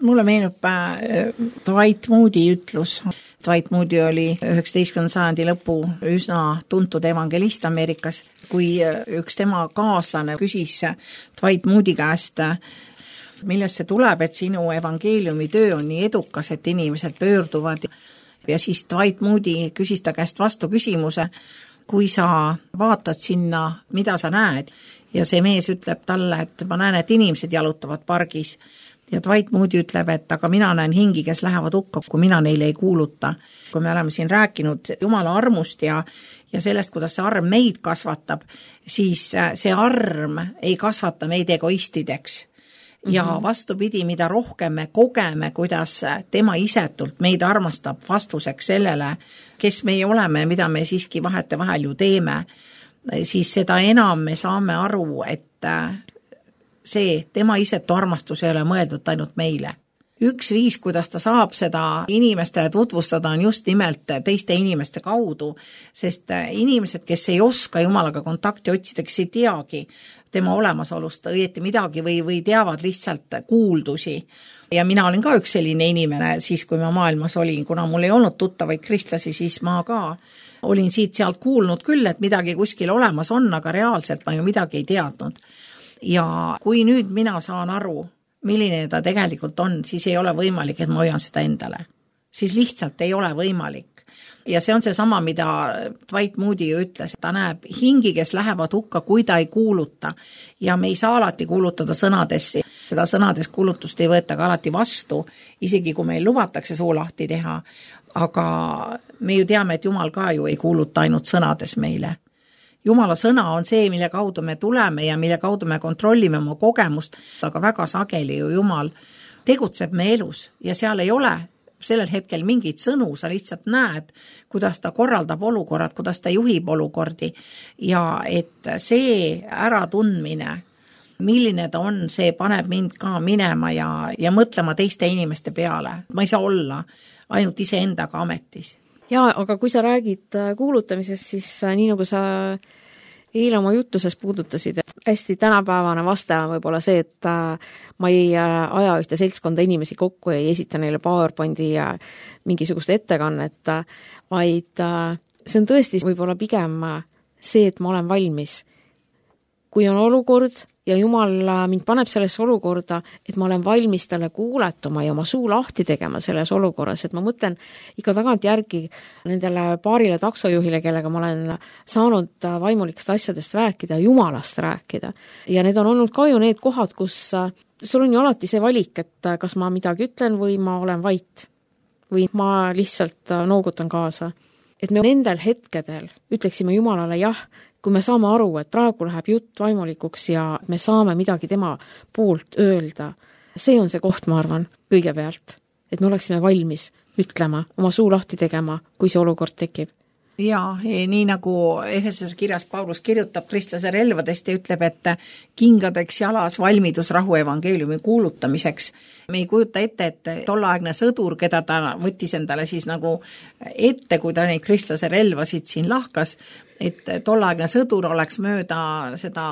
Speaker 2: Mulle meenub Dwight Moody ütlus. Dwight Moody oli 19. sajandi lõpu üsna tuntud evangelist Ameerikas, kui üks tema kaaslane küsis Dwight Moody käest, millest see tuleb, et sinu evangeeliumi töö on nii edukas, et inimesed pöörduvad. Ja siis Dwight Moody küsis ta käest vastu küsimuse, kui sa vaatad sinna, mida sa näed. Ja see mees ütleb talle, et ma näen, et inimesed jalutavad pargis. Ja Dwight Moody ütleb, et aga mina näen hingi, kes lähevad hukka, kui mina neile ei kuuluta. Kui me oleme siin rääkinud Jumala armust ja sellest, kuidas see arm meid kasvatab, siis see arm ei kasvata meid egoistideks. ja vastupidi, mida rohkem me kogeme, kuidas tema isetult meid armastab vastuseks sellele, kes meie oleme ja mida me siiski vahetevahel ju teeme, siis seda enam me saame aru, et see tema isetu armastus ei ole mõeldud ainult meile. Üks viis, kuidas ta saab seda inimestele tutvustada, on just nimelt teiste inimeste kaudu, sest inimesed, kes ei oska Jumalaga kontakti otsida, kes ei teagi tema olemasolust õieti midagi või teavad lihtsalt kuuldusi. Ja mina olin ka üks selline inimene siis, kui ma maailmas olin, kuna mul ei olnud tuttavaid kristlasi, siis ma ka olin siit-sealt kuulnud küll, et midagi kuskil olemas on, aga reaalselt ma ju midagi ei teadnud. Ja kui nüüd mina saan aru, milline ta tegelikult on, siis ei ole võimalik, et ma hoian seda endale. Siis lihtsalt ei ole võimalik. Ja see on see sama, mida Dwight Moody ju ütles. Ta näeb hingi, kes lähevad hukka, kui ta ei kuuluta. Ja me ei saa alati kuulutada sõnadesse. Seda sõnades kuulutust ei võeta ka alati vastu, isegi kui meil lubatakse suu lahti teha. Aga me ju teame, et Jumal ka ju ei kuuluta ainult sõnades meile. Jumala sõna on see, mille kaudu me tuleme ja mille kaudu me kontrollime oma kogemust, aga väga sageli ju Jumal tegutseb me elus ja seal ei ole sellel hetkel mingit sõnu, sa lihtsalt näed, kuidas ta korraldab olukorrad, kuidas ta juhib olukordi ja et see äratundmine, milline ta on, see paneb mind ka minema ja mõtlema teiste inimeste peale. Ma ei saa olla ainult iseendaga ametis.
Speaker 3: Jaa, aga kui sa räägid kuulutamisest, siis nii nagu sa eile oma jutuses puudutasid, hästi tänapäevane vaste on võib-olla see, et ma ei aja ühte seltskonda inimesi kokku, ei esita neile PowerPointi ja mingisugust ettekannet, vaid see on tõesti võib-olla pigem see, et ma olen valmis. Kui on olukord ja Jumal mind paneb sellesse olukorda, et ma olen valmis talle kuuletuma ja oma suu lahti tegema selles olukorras, et ma mõtlen ikka tagant järgi nendele paarile taksojuhile, kellega ma olen saanud vaimulikest asjadest rääkida, Jumalast rääkida. Ja need on olnud ka ju need kohad, kus sul on ju alati see valik, et kas ma midagi ütlen või ma olen vait või ma lihtsalt noogutan kaasa. Et me nendel hetkedel ütleksime Jumalale jah, kui me saame aru, et praegu läheb jutt vaimulikuks ja me saame midagi tema poolt öelda. See on see koht, ma arvan, kõigepealt, et me oleksime valmis ütlema, oma suu lahti tegema, kui see olukord tekib.
Speaker 2: Ja nii nagu Efesose kirjas Paulus kirjutab kristlase relvadest ja ütleb, et kingadeks jalas valmidus rahu evangeeliumi kuulutamiseks. Me ei kujuta ette, et tolleaegne sõdur, keda ta võttis endale siis nagu ette, kui ta neid kristlase relvasid siin lahkas, et tolleaegne sõdur oleks mööda seda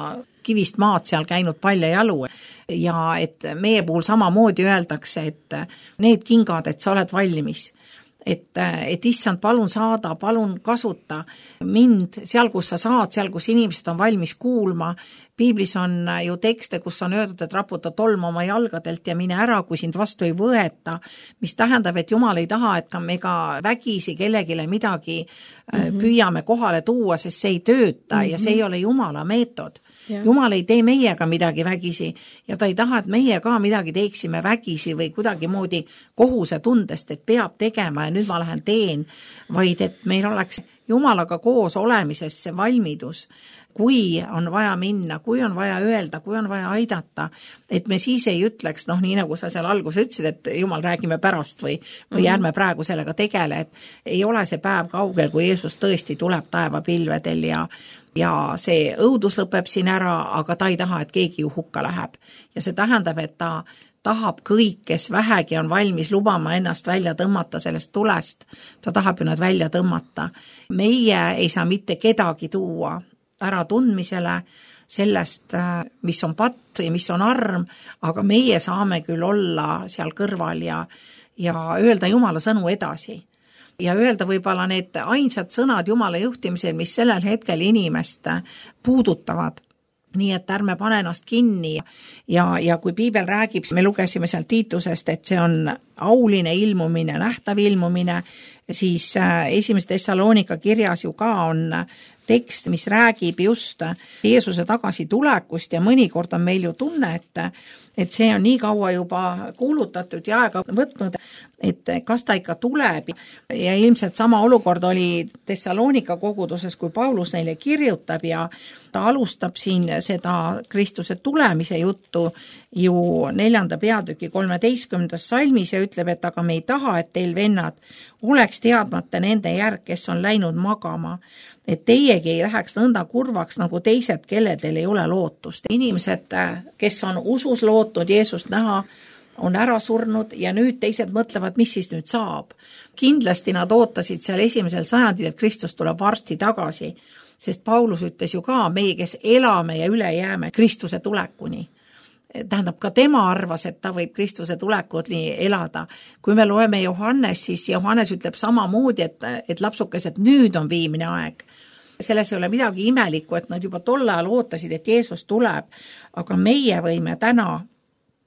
Speaker 2: kivist maad seal käinud palja jalu ja et meie puhul samamoodi öeldakse, et need kingad, et sa oled valmis. Et issand, palun saada, palun kasuta mind seal, kus sa saad, seal, kus inimesed on valmis kuulma. Piiblis on ju tekste, kus on öeldud, et raputa tolm oma jalgadelt ja mine ära, kui sind vastu ei võeta, mis tähendab, et Jumal ei taha, et ka me ka vägisi kellegile midagi püüame kohale tuua, sest see ei tööta ja see ei ole Jumala meetod. Ja. Jumal ei tee meiega midagi vägisi ja ta ei taha, et meie ka midagi teeksime vägisi või kuidagi moodi kohuse tundest, et peab tegema ja nüüd ma lähen teen, vaid et meil oleks Jumalaga koos olemises see valmidus, kui on vaja minna, kui on vaja öelda, kui on vaja aidata, et me siis ei ütleks, nii nagu sa seal alguses ütlesid, et Jumal, räägime pärast või ärme praegu sellega tegele, et ei ole see päev kaugel, kui Jeesus tõesti tuleb taevapilvedel ja see õudus lõpeb siin ära, aga ta ei taha, et keegi ju hukka läheb. Ja see tähendab, et ta tahab kõik, kes vähegi on valmis lubama ennast välja tõmmata sellest tulest, ta tahab ju nad välja tõmmata. Meie ei saa mitte kedagi tuua ära tundmisele sellest, mis on patt ja mis on arm, aga meie saame küll olla seal kõrval ja öelda Jumala sõnu edasi. Ja öelda võib-olla need ainsad sõnad Jumala juhtimisel, mis sellel hetkel inimest puudutavad. Nii et ärme pane ennast kinni ja kui Piibel räägib, me lugesime seal Tiitusest, et see on auline ilmumine, nähtav ilmumine, siis esimese Thessalonika kirjas ju ka on tekst, mis räägib just Jeesuse tagasitulekust ja mõnikord on meil ju tunne, et see on nii kaua juba kuulutatud ja aega võtnud, et kas ta ikka tuleb. Ja ilmselt sama olukord oli Thessalonika koguduses, kui Paulus neile kirjutab ja ta alustab siin seda Kristuse tulemise juttu ju 4. peatüki 13. salmis ja ütleb, et aga me ei taha, et teil vennad oleks teadmata nende järg, kes on läinud magama, et teiegi ei läheks nõnda kurvaks nagu teised, kelledel ei ole lootust. Inimesed, kes on usus lootnud Jeesust näha, on ära surnud ja nüüd teised mõtlevad, mis siis nüüd saab. Kindlasti nad ootasid seal esimesel sajandil, et Kristus tuleb varsti tagasi, sest Paulus ütles ju ka, meie, kes elame ja üle jääme Kristuse tulekuni. Tähendab, ka tema arvas, et ta võib Kristuse tulekuni elada. Kui me loeme Johannes, siis Johannes ütleb samamoodi, et lapsukesed, nüüd on viimine aeg. Selles ei ole midagi imelikku, et nad juba tol ajal ootasid, et Jeesus tuleb, aga meie võime täna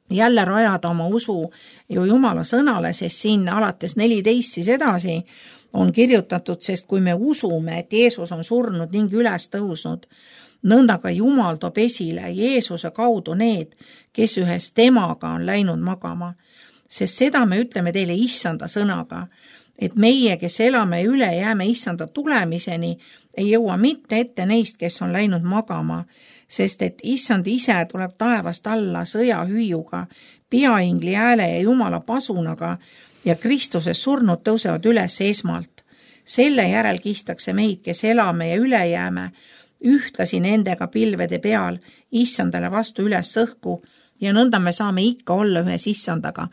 Speaker 2: jälle rajada oma usu ju Jumala sõnale, sest siin alates 14 siis edasi on kirjutatud, sest kui me usume, et Jeesus on surnud ning üles tõusnud, nõnda ka Jumal toob esile Jeesuse kaudu need, kes ühes temaga on läinud magama. Sest seda me ütleme teile issanda sõnaga, et meie, kes elame üle, jääme issanda tulemiseni, ei jõua mitte ette neist, kes on läinud magama, sest et issand ise tuleb taevast alla sõjahüüuga, peaingli hääle ja Jumala pasunaga ja Kristuses surnud tõusevad üles esmalt. Selle järel kistakse meid, kes elame ja üle jääme, ühtlasi nendega pilvede peal issandale vastu üles õhku ja nõnda me saame ikka olla ühes issandaga.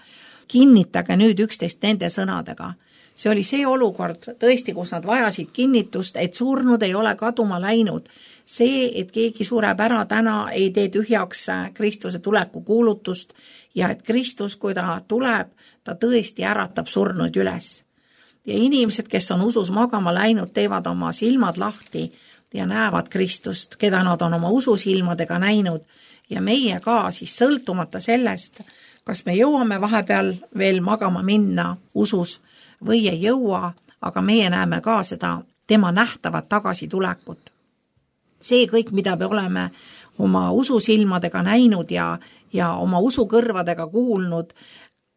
Speaker 2: Kinnitage nüüd üksteist nende sõnadega. See oli see olukord tõesti, kus nad vajasid kinnitust, et surnud ei ole kaduma läinud. See, et keegi sureb ära täna, ei tee tühjaks Kristuse tuleku kuulutust ja et Kristus, kui ta tuleb, ta tõesti äratab surnud üles. Ja inimesed, kes on usus magama läinud, teevad oma silmad lahti ja näevad Kristust, keda nad on oma ususilmadega näinud ja meie ka siis sõltumata sellest, kas me jõuame vahepeal veel magama minna usus või ei jõua, aga meie näeme ka seda tema nähtavat tagasitulekut. See kõik, mida me oleme oma ususilmadega näinud ja oma usukõrvadega kuulnud,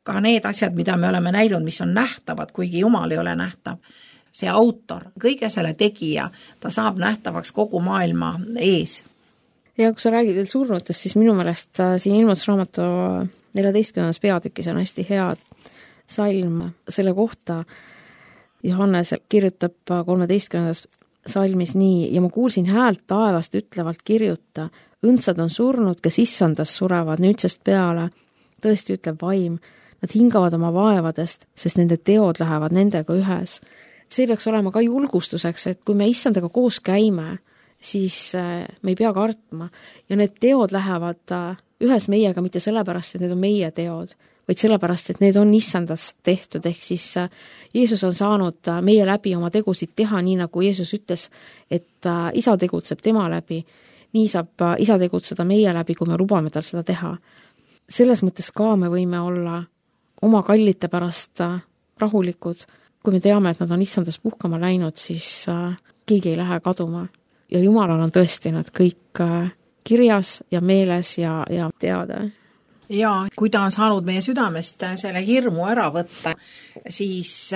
Speaker 2: ka need asjad, mida me oleme näinud, mis on nähtavad, kuigi Jumal ei ole nähtav. See autor, kõige selle tegija, ta saab nähtavaks kogu maailma ees.
Speaker 3: Ja kui sa räägid veel surnutest, siis minu meelest siin ilmutusraamatu 14. peatükis on hästi hea salm selle kohta. Johannes kirjutab 13. salmis nii, ja ma kuulsin häält taevast ütlevalt kirjuta, õndsad on surnud, kes issandas surevad nüüdsest peale, tõesti ütleb vaim, nad hingavad oma vaevadest, sest nende teod lähevad nendega ühes. See peaks olema ka julgustuseks, et kui me issandaga koos käime, siis me ei pea kartma ja need teod lähevad ühes meiega mitte sellepärast, et need on meie teod, vaid sellepärast, et need on issandas tehtud, ehk siis Jeesus on saanud meie läbi oma tegusid teha, nii nagu Jeesus ütles, et isa tegutseb tema läbi, nii saab isa tegutseda meie läbi, kui me lubame tal seda teha. Selles mõttes ka me võime olla oma kallite pärast rahulikud, kui me teame, et nad on issandas puhkama läinud, siis keegi ei lähe kaduma. Ja Jumalal on tõesti nad kõik kirjas ja meeles ja teada.
Speaker 2: Ja kui ta on saanud meie südamest selle hirmu ära võtta, siis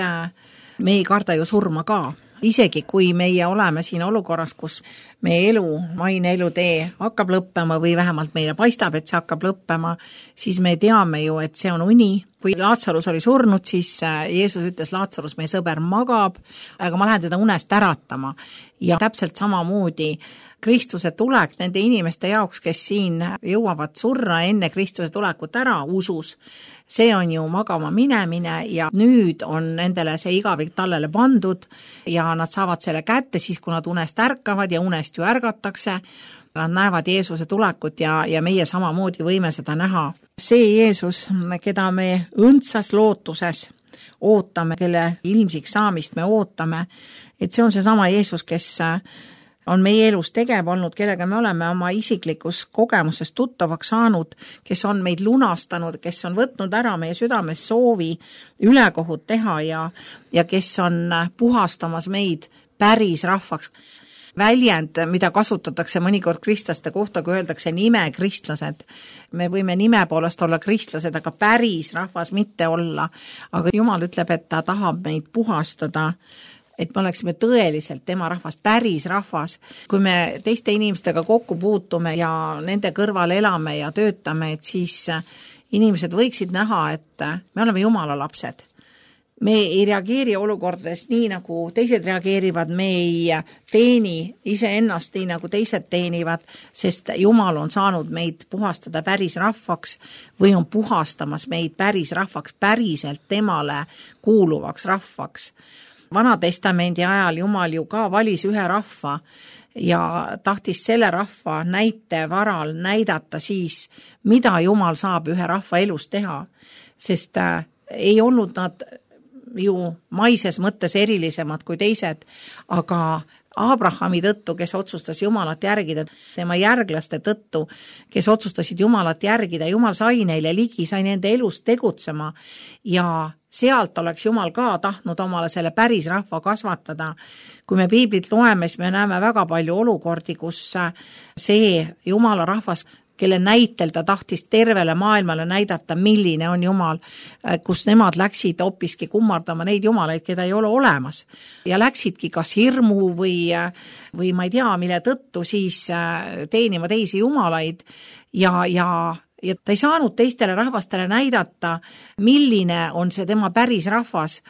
Speaker 2: me ei karda ju surma ka. Isegi kui meie oleme siin olukorras, kus meie elu, maine elutee hakkab lõppema või vähemalt meile paistab, et see hakkab lõppema, siis me teame ju, et see on uni. Kui Laatsarus oli surnud, siis Jeesus ütles, Laatsarus, meie sõber magab, aga ma lähen teda unest äratama. Ja täpselt samamoodi Kristuse tulek nende inimeste jaoks, kes siin jõuavad surra enne Kristuse tulekut ära usus, see on ju magama minemine ja nüüd on nendele see igavik tallele pandud ja nad saavad selle kätte siis, kui nad unest ärkavad ja unest ju ärgatakse. Nad näevad Jeesuse tulekut ja meie samamoodi võime seda näha. See Jeesus, keda me õndsas lootuses ootame, kelle ilmsiks saamist me ootame, et see on see sama Jeesus, kes on meie elus tegev olnud, kellega me oleme oma isiklikus kogemuses tuttavaks saanud, kes on meid lunastanud, kes on võtnud ära meie südames soovi ülekohut teha ja kes on puhastamas meid päris rahvaks. Väljend, mida kasutatakse mõnikord kristlaste kohta, kui öeldakse nime kristlased. Me võime nime poolest olla kristlased, aga päris rahvas mitte olla. Aga Jumal ütleb, et ta tahab meid puhastada, et me oleksime tõeliselt tema rahvas, päris rahvas. Kui me teiste inimestega kokku puutume ja nende kõrval elame ja töötame, et siis inimesed võiksid näha, et me oleme Jumala lapsed. Me ei reageeri olukordades nii, nagu teised reageerivad, me ei teeni iseennast nii, nagu teised teenivad, sest Jumal on saanud meid puhastada päris rahvaks või on puhastamas meid päris rahvaks, päriselt temale kuuluvaks rahvaks. Vanatestamendi ajal Jumal ju ka valis ühe rahva ja tahtis selle rahva näite varal näidata siis, mida Jumal saab ühe rahva elus teha, sest ei olnud nad ju maises mõttes erilisemad kui teised, aga Abrahami tõttu, kes otsustas Jumalat järgida, tema järglaste tõttu, kes otsustasid Jumalat järgida, Jumal sai neile ligi, sai nende elus tegutsema ja sealt oleks Jumal ka tahtnud omale selle päris rahva kasvatada. Kui me piiblit loeme, siis me näeme väga palju olukordi, kus see Jumala rahvas, kelle näitel ta tahtis tervele maailmale näidata, milline on Jumal, kus nemad läksid hoopiski kummardama neid jumalaid, keda ei ole olemas. Ja läksidki kas hirmu või ma ei tea, mille tõttu siis teenima teisi jumalaid ja ta ei saanud teistele rahvastele näidata, milline on see tema päris rahvas.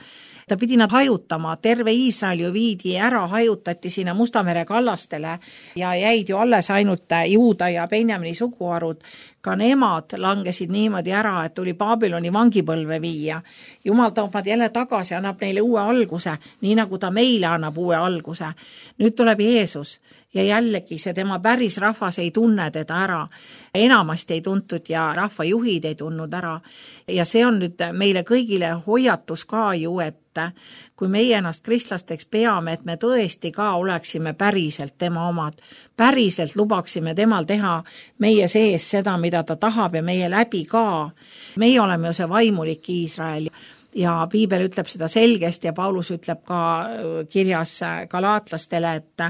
Speaker 2: Ta pidi nad hajutama, terve Iisrael ju viidi ära, hajutati sinna Musta mere kallastele ja jäid ju alles ainult Juuda ja Benjamini suguharud. Ka nemad langesid niimoodi ära, et tuli Babyloni vangipõlve viia. Jumal toob nad jälle tagasi, annab neile uue alguse, nii nagu ta meile annab uue alguse. Nüüd tuleb Jeesus ja jällegi see tema päris rahvas ei tunne teda ära. Enamasti ei tuntud ja rahvajuhid ei tundnud ära. Ja see on nüüd meile kõigile hoiatus ka ju, et kui meie ennast kristlasteks peame, et me tõesti ka oleksime päriselt tema omad, päriselt lubaksime temal teha meie sees seda, mida ta tahab ja meie läbi ka. Meie oleme ju see vaimulik Iisrael ja piibel ütleb seda selgesti ja Paulus ütleb ka kirjas galaatlastele, et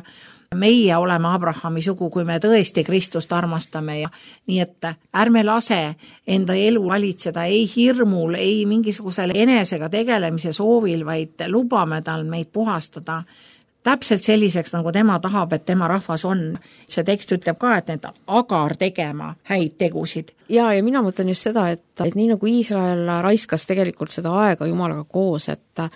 Speaker 2: meie oleme Abrahami sugu, kui me tõesti Kristust armastame ja nii, et ärme lase enda elu valitseda ei hirmul, ei mingisugusel enesega tegelemise soovil, vaid lubame tal meid puhastada täpselt selliseks, nagu tema tahab, et tema rahvas on. See tekst ütleb ka, et need agar tegema häid tegusid.
Speaker 3: Ja mina mõtlen just seda, et nii nagu Iisrael raiskas tegelikult seda aega Jumalaga koos, et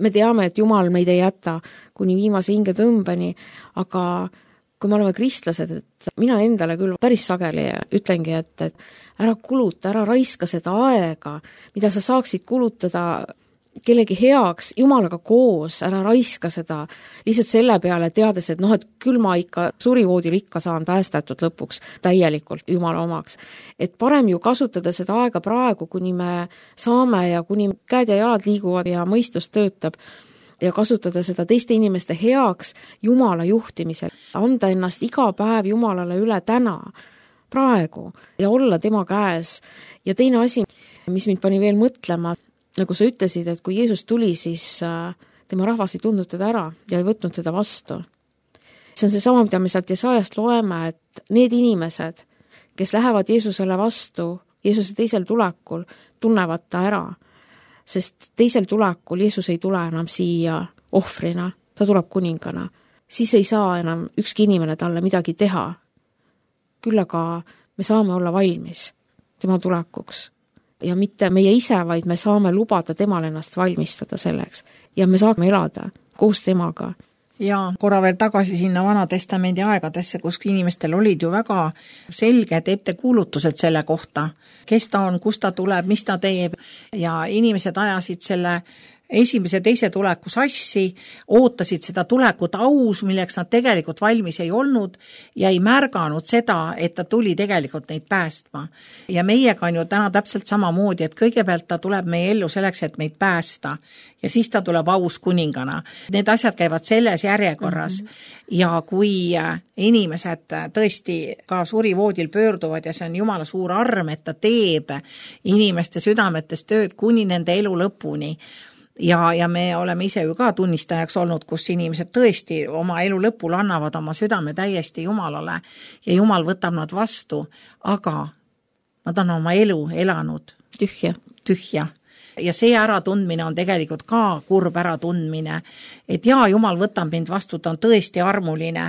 Speaker 3: me teame, et Jumal meid ei jäta kuni viimase hingetõmbeni, aga kui me oleme kristlased, et mina endale küll päris sageli ütlengi, et ära kuluta, ära raiska seda aega, mida sa saaksid kulutada kellegi heaks, Jumalaga koos, ära raiska seda lihtsalt selle peale, teades, et et küll ma ikka surivoodil ikka saan päästetud lõpuks täielikult Jumala omaks. Et parem ju kasutada seda aega praegu, kuni me saame ja kuni käed ja jalad liiguvad ja mõistus töötab ja kasutada seda teiste inimeste heaks Jumala juhtimisel. Anda ennast iga päev Jumalale üle täna, praegu ja olla tema käes. Ja teine asi, mis mind pani veel mõtlema, nagu sa ütlesid, et kui Jeesus tuli, siis tema rahvas ei tundnud teda ära ja ei võtnud teda vastu. See on see sama, mida me sealt Jesaajast loeme, et need inimesed, kes lähevad Jeesusele vastu, Jeesuse teisel tulekul, tunnevad ta ära. Sest teisel tulekul Jeesus ei tule enam siia ohvrina, ta tuleb kuningana. Siis ei saa enam ükski inimene talle midagi teha. Küll aga me saame olla valmis tema tulekuks. Ja mitte meie ise, vaid me saame lubada temal ennast valmistada selleks. Ja me saame elada koos temaga.
Speaker 2: Ja korra veel tagasi sinna Vanatestamendi aegadesse, kus inimestel olid ju väga selged ettekuulutused selle kohta, kes ta on, kust ta tuleb, mis ta teeb ja inimesed ajasid selle esimese teise tuleku sassi, ootasid seda tulekut aus, milleks nad tegelikult valmis ei olnud ja ei märganud seda, et ta tuli tegelikult neid päästma. Ja meiega on ju täna täpselt samamoodi, et kõigepealt ta tuleb meie ellu selleks, et meid päästa ja siis ta tuleb aus kuningana. Need asjad käivad selles järjekorras ja kui inimesed tõesti ka surivoodil pöörduvad ja see on Jumala suur arm, et ta teeb inimeste südametes tööd kuni nende elu lõpuni. Ja me oleme ise ju ka tunnistajaks olnud, kus inimesed tõesti oma elu lõpul annavad oma südame täiesti Jumalale ja Jumal võtab nad vastu, aga nad on oma elu elanud tühja. Ja see äratundmine on tegelikult ka kurb äratundmine, et jaa, Jumal võtab mind vastu, ta on tõesti armuline,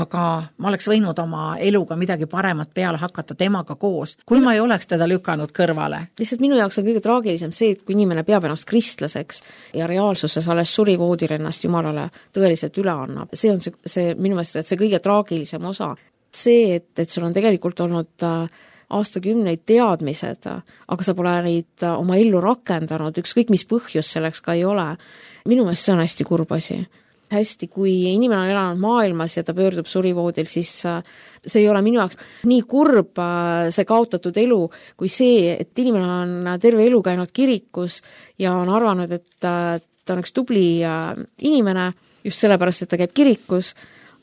Speaker 2: aga ma oleks võinud oma eluga midagi paremat peale hakata temaga koos, kui ma ei oleks teda lükanud kõrvale.
Speaker 3: Lihtsalt minu jaoks on kõige traagilisem see, et kui inimene peab ennast kristlaseks ja reaalsuses alles surivoodil ennast Jumalale tõeliselt üle annab. See on see minu meelest, et see kõige traagilisem osa. See, et sul on tegelikult olnud aastakümneid teadmised, aga sa pole neid oma ellu rakendanud, ükskõik mis põhjus selleks ka ei ole. Minu meelest see on hästi kurb asi. Hästi, kui inimene on elanud maailmas ja ta pöördub surivoodil, siis see ei ole minu jaoks nii kurb see kaotatud elu, kui see, et inimene on terve elu käinud kirikus ja on arvanud, et ta on üks tubli inimene just sellepärast, et ta käib kirikus,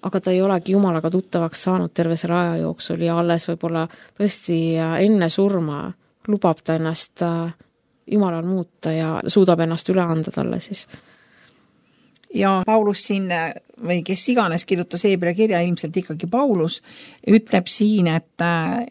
Speaker 3: aga ta ei olegi Jumalaga tuttavaks saanud terve selle aja jooksul ja alles võib-olla tõesti enne surma lubab ta ennast Jumalal muuta ja suudab ennast üle anda talle siis.
Speaker 2: Ja Paulus siin, või kes iganes kirjutas Hebra kirja, ilmselt ikkagi Paulus, ütleb siin, et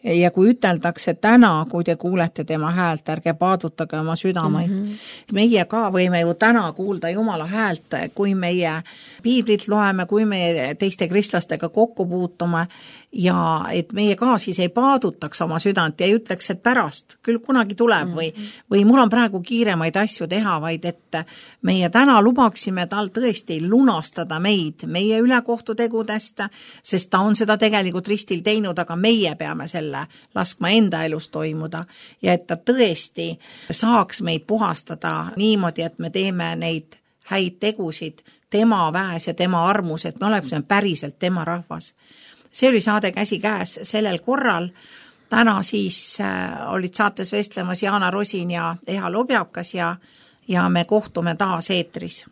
Speaker 2: ja kui üteldakse täna, kui te kuulete tema häält, ärge paadutage oma südameid. Meie ka võime ju täna kuulda Jumala häält, kui meie piiblit loeme, kui me teiste kristlastega kokku puutume ja et meie ka siis ei paadutaks oma südant ja ei ütleks, et pärast küll kunagi tuleb või mul on praegu kiiremaid asju teha, vaid et meie täna lubaksime tal tõesti lunastada meid, meie ülekohtutegudest, sest ta on seda tegelikult ristil teinud, aga meie peame selle laskma enda elus toimuda ja et ta tõesti saaks meid puhastada niimoodi, et me teeme neid häid tegusid tema väes ja tema armus, et me oleme päriselt tema rahvas. See oli saade Käsi käes sellel korral. Täna siis olid saates vestlemas Jaana Rosin ja Eha Lobjakas ja me kohtume taas eetris.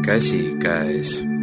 Speaker 1: Käsi käes.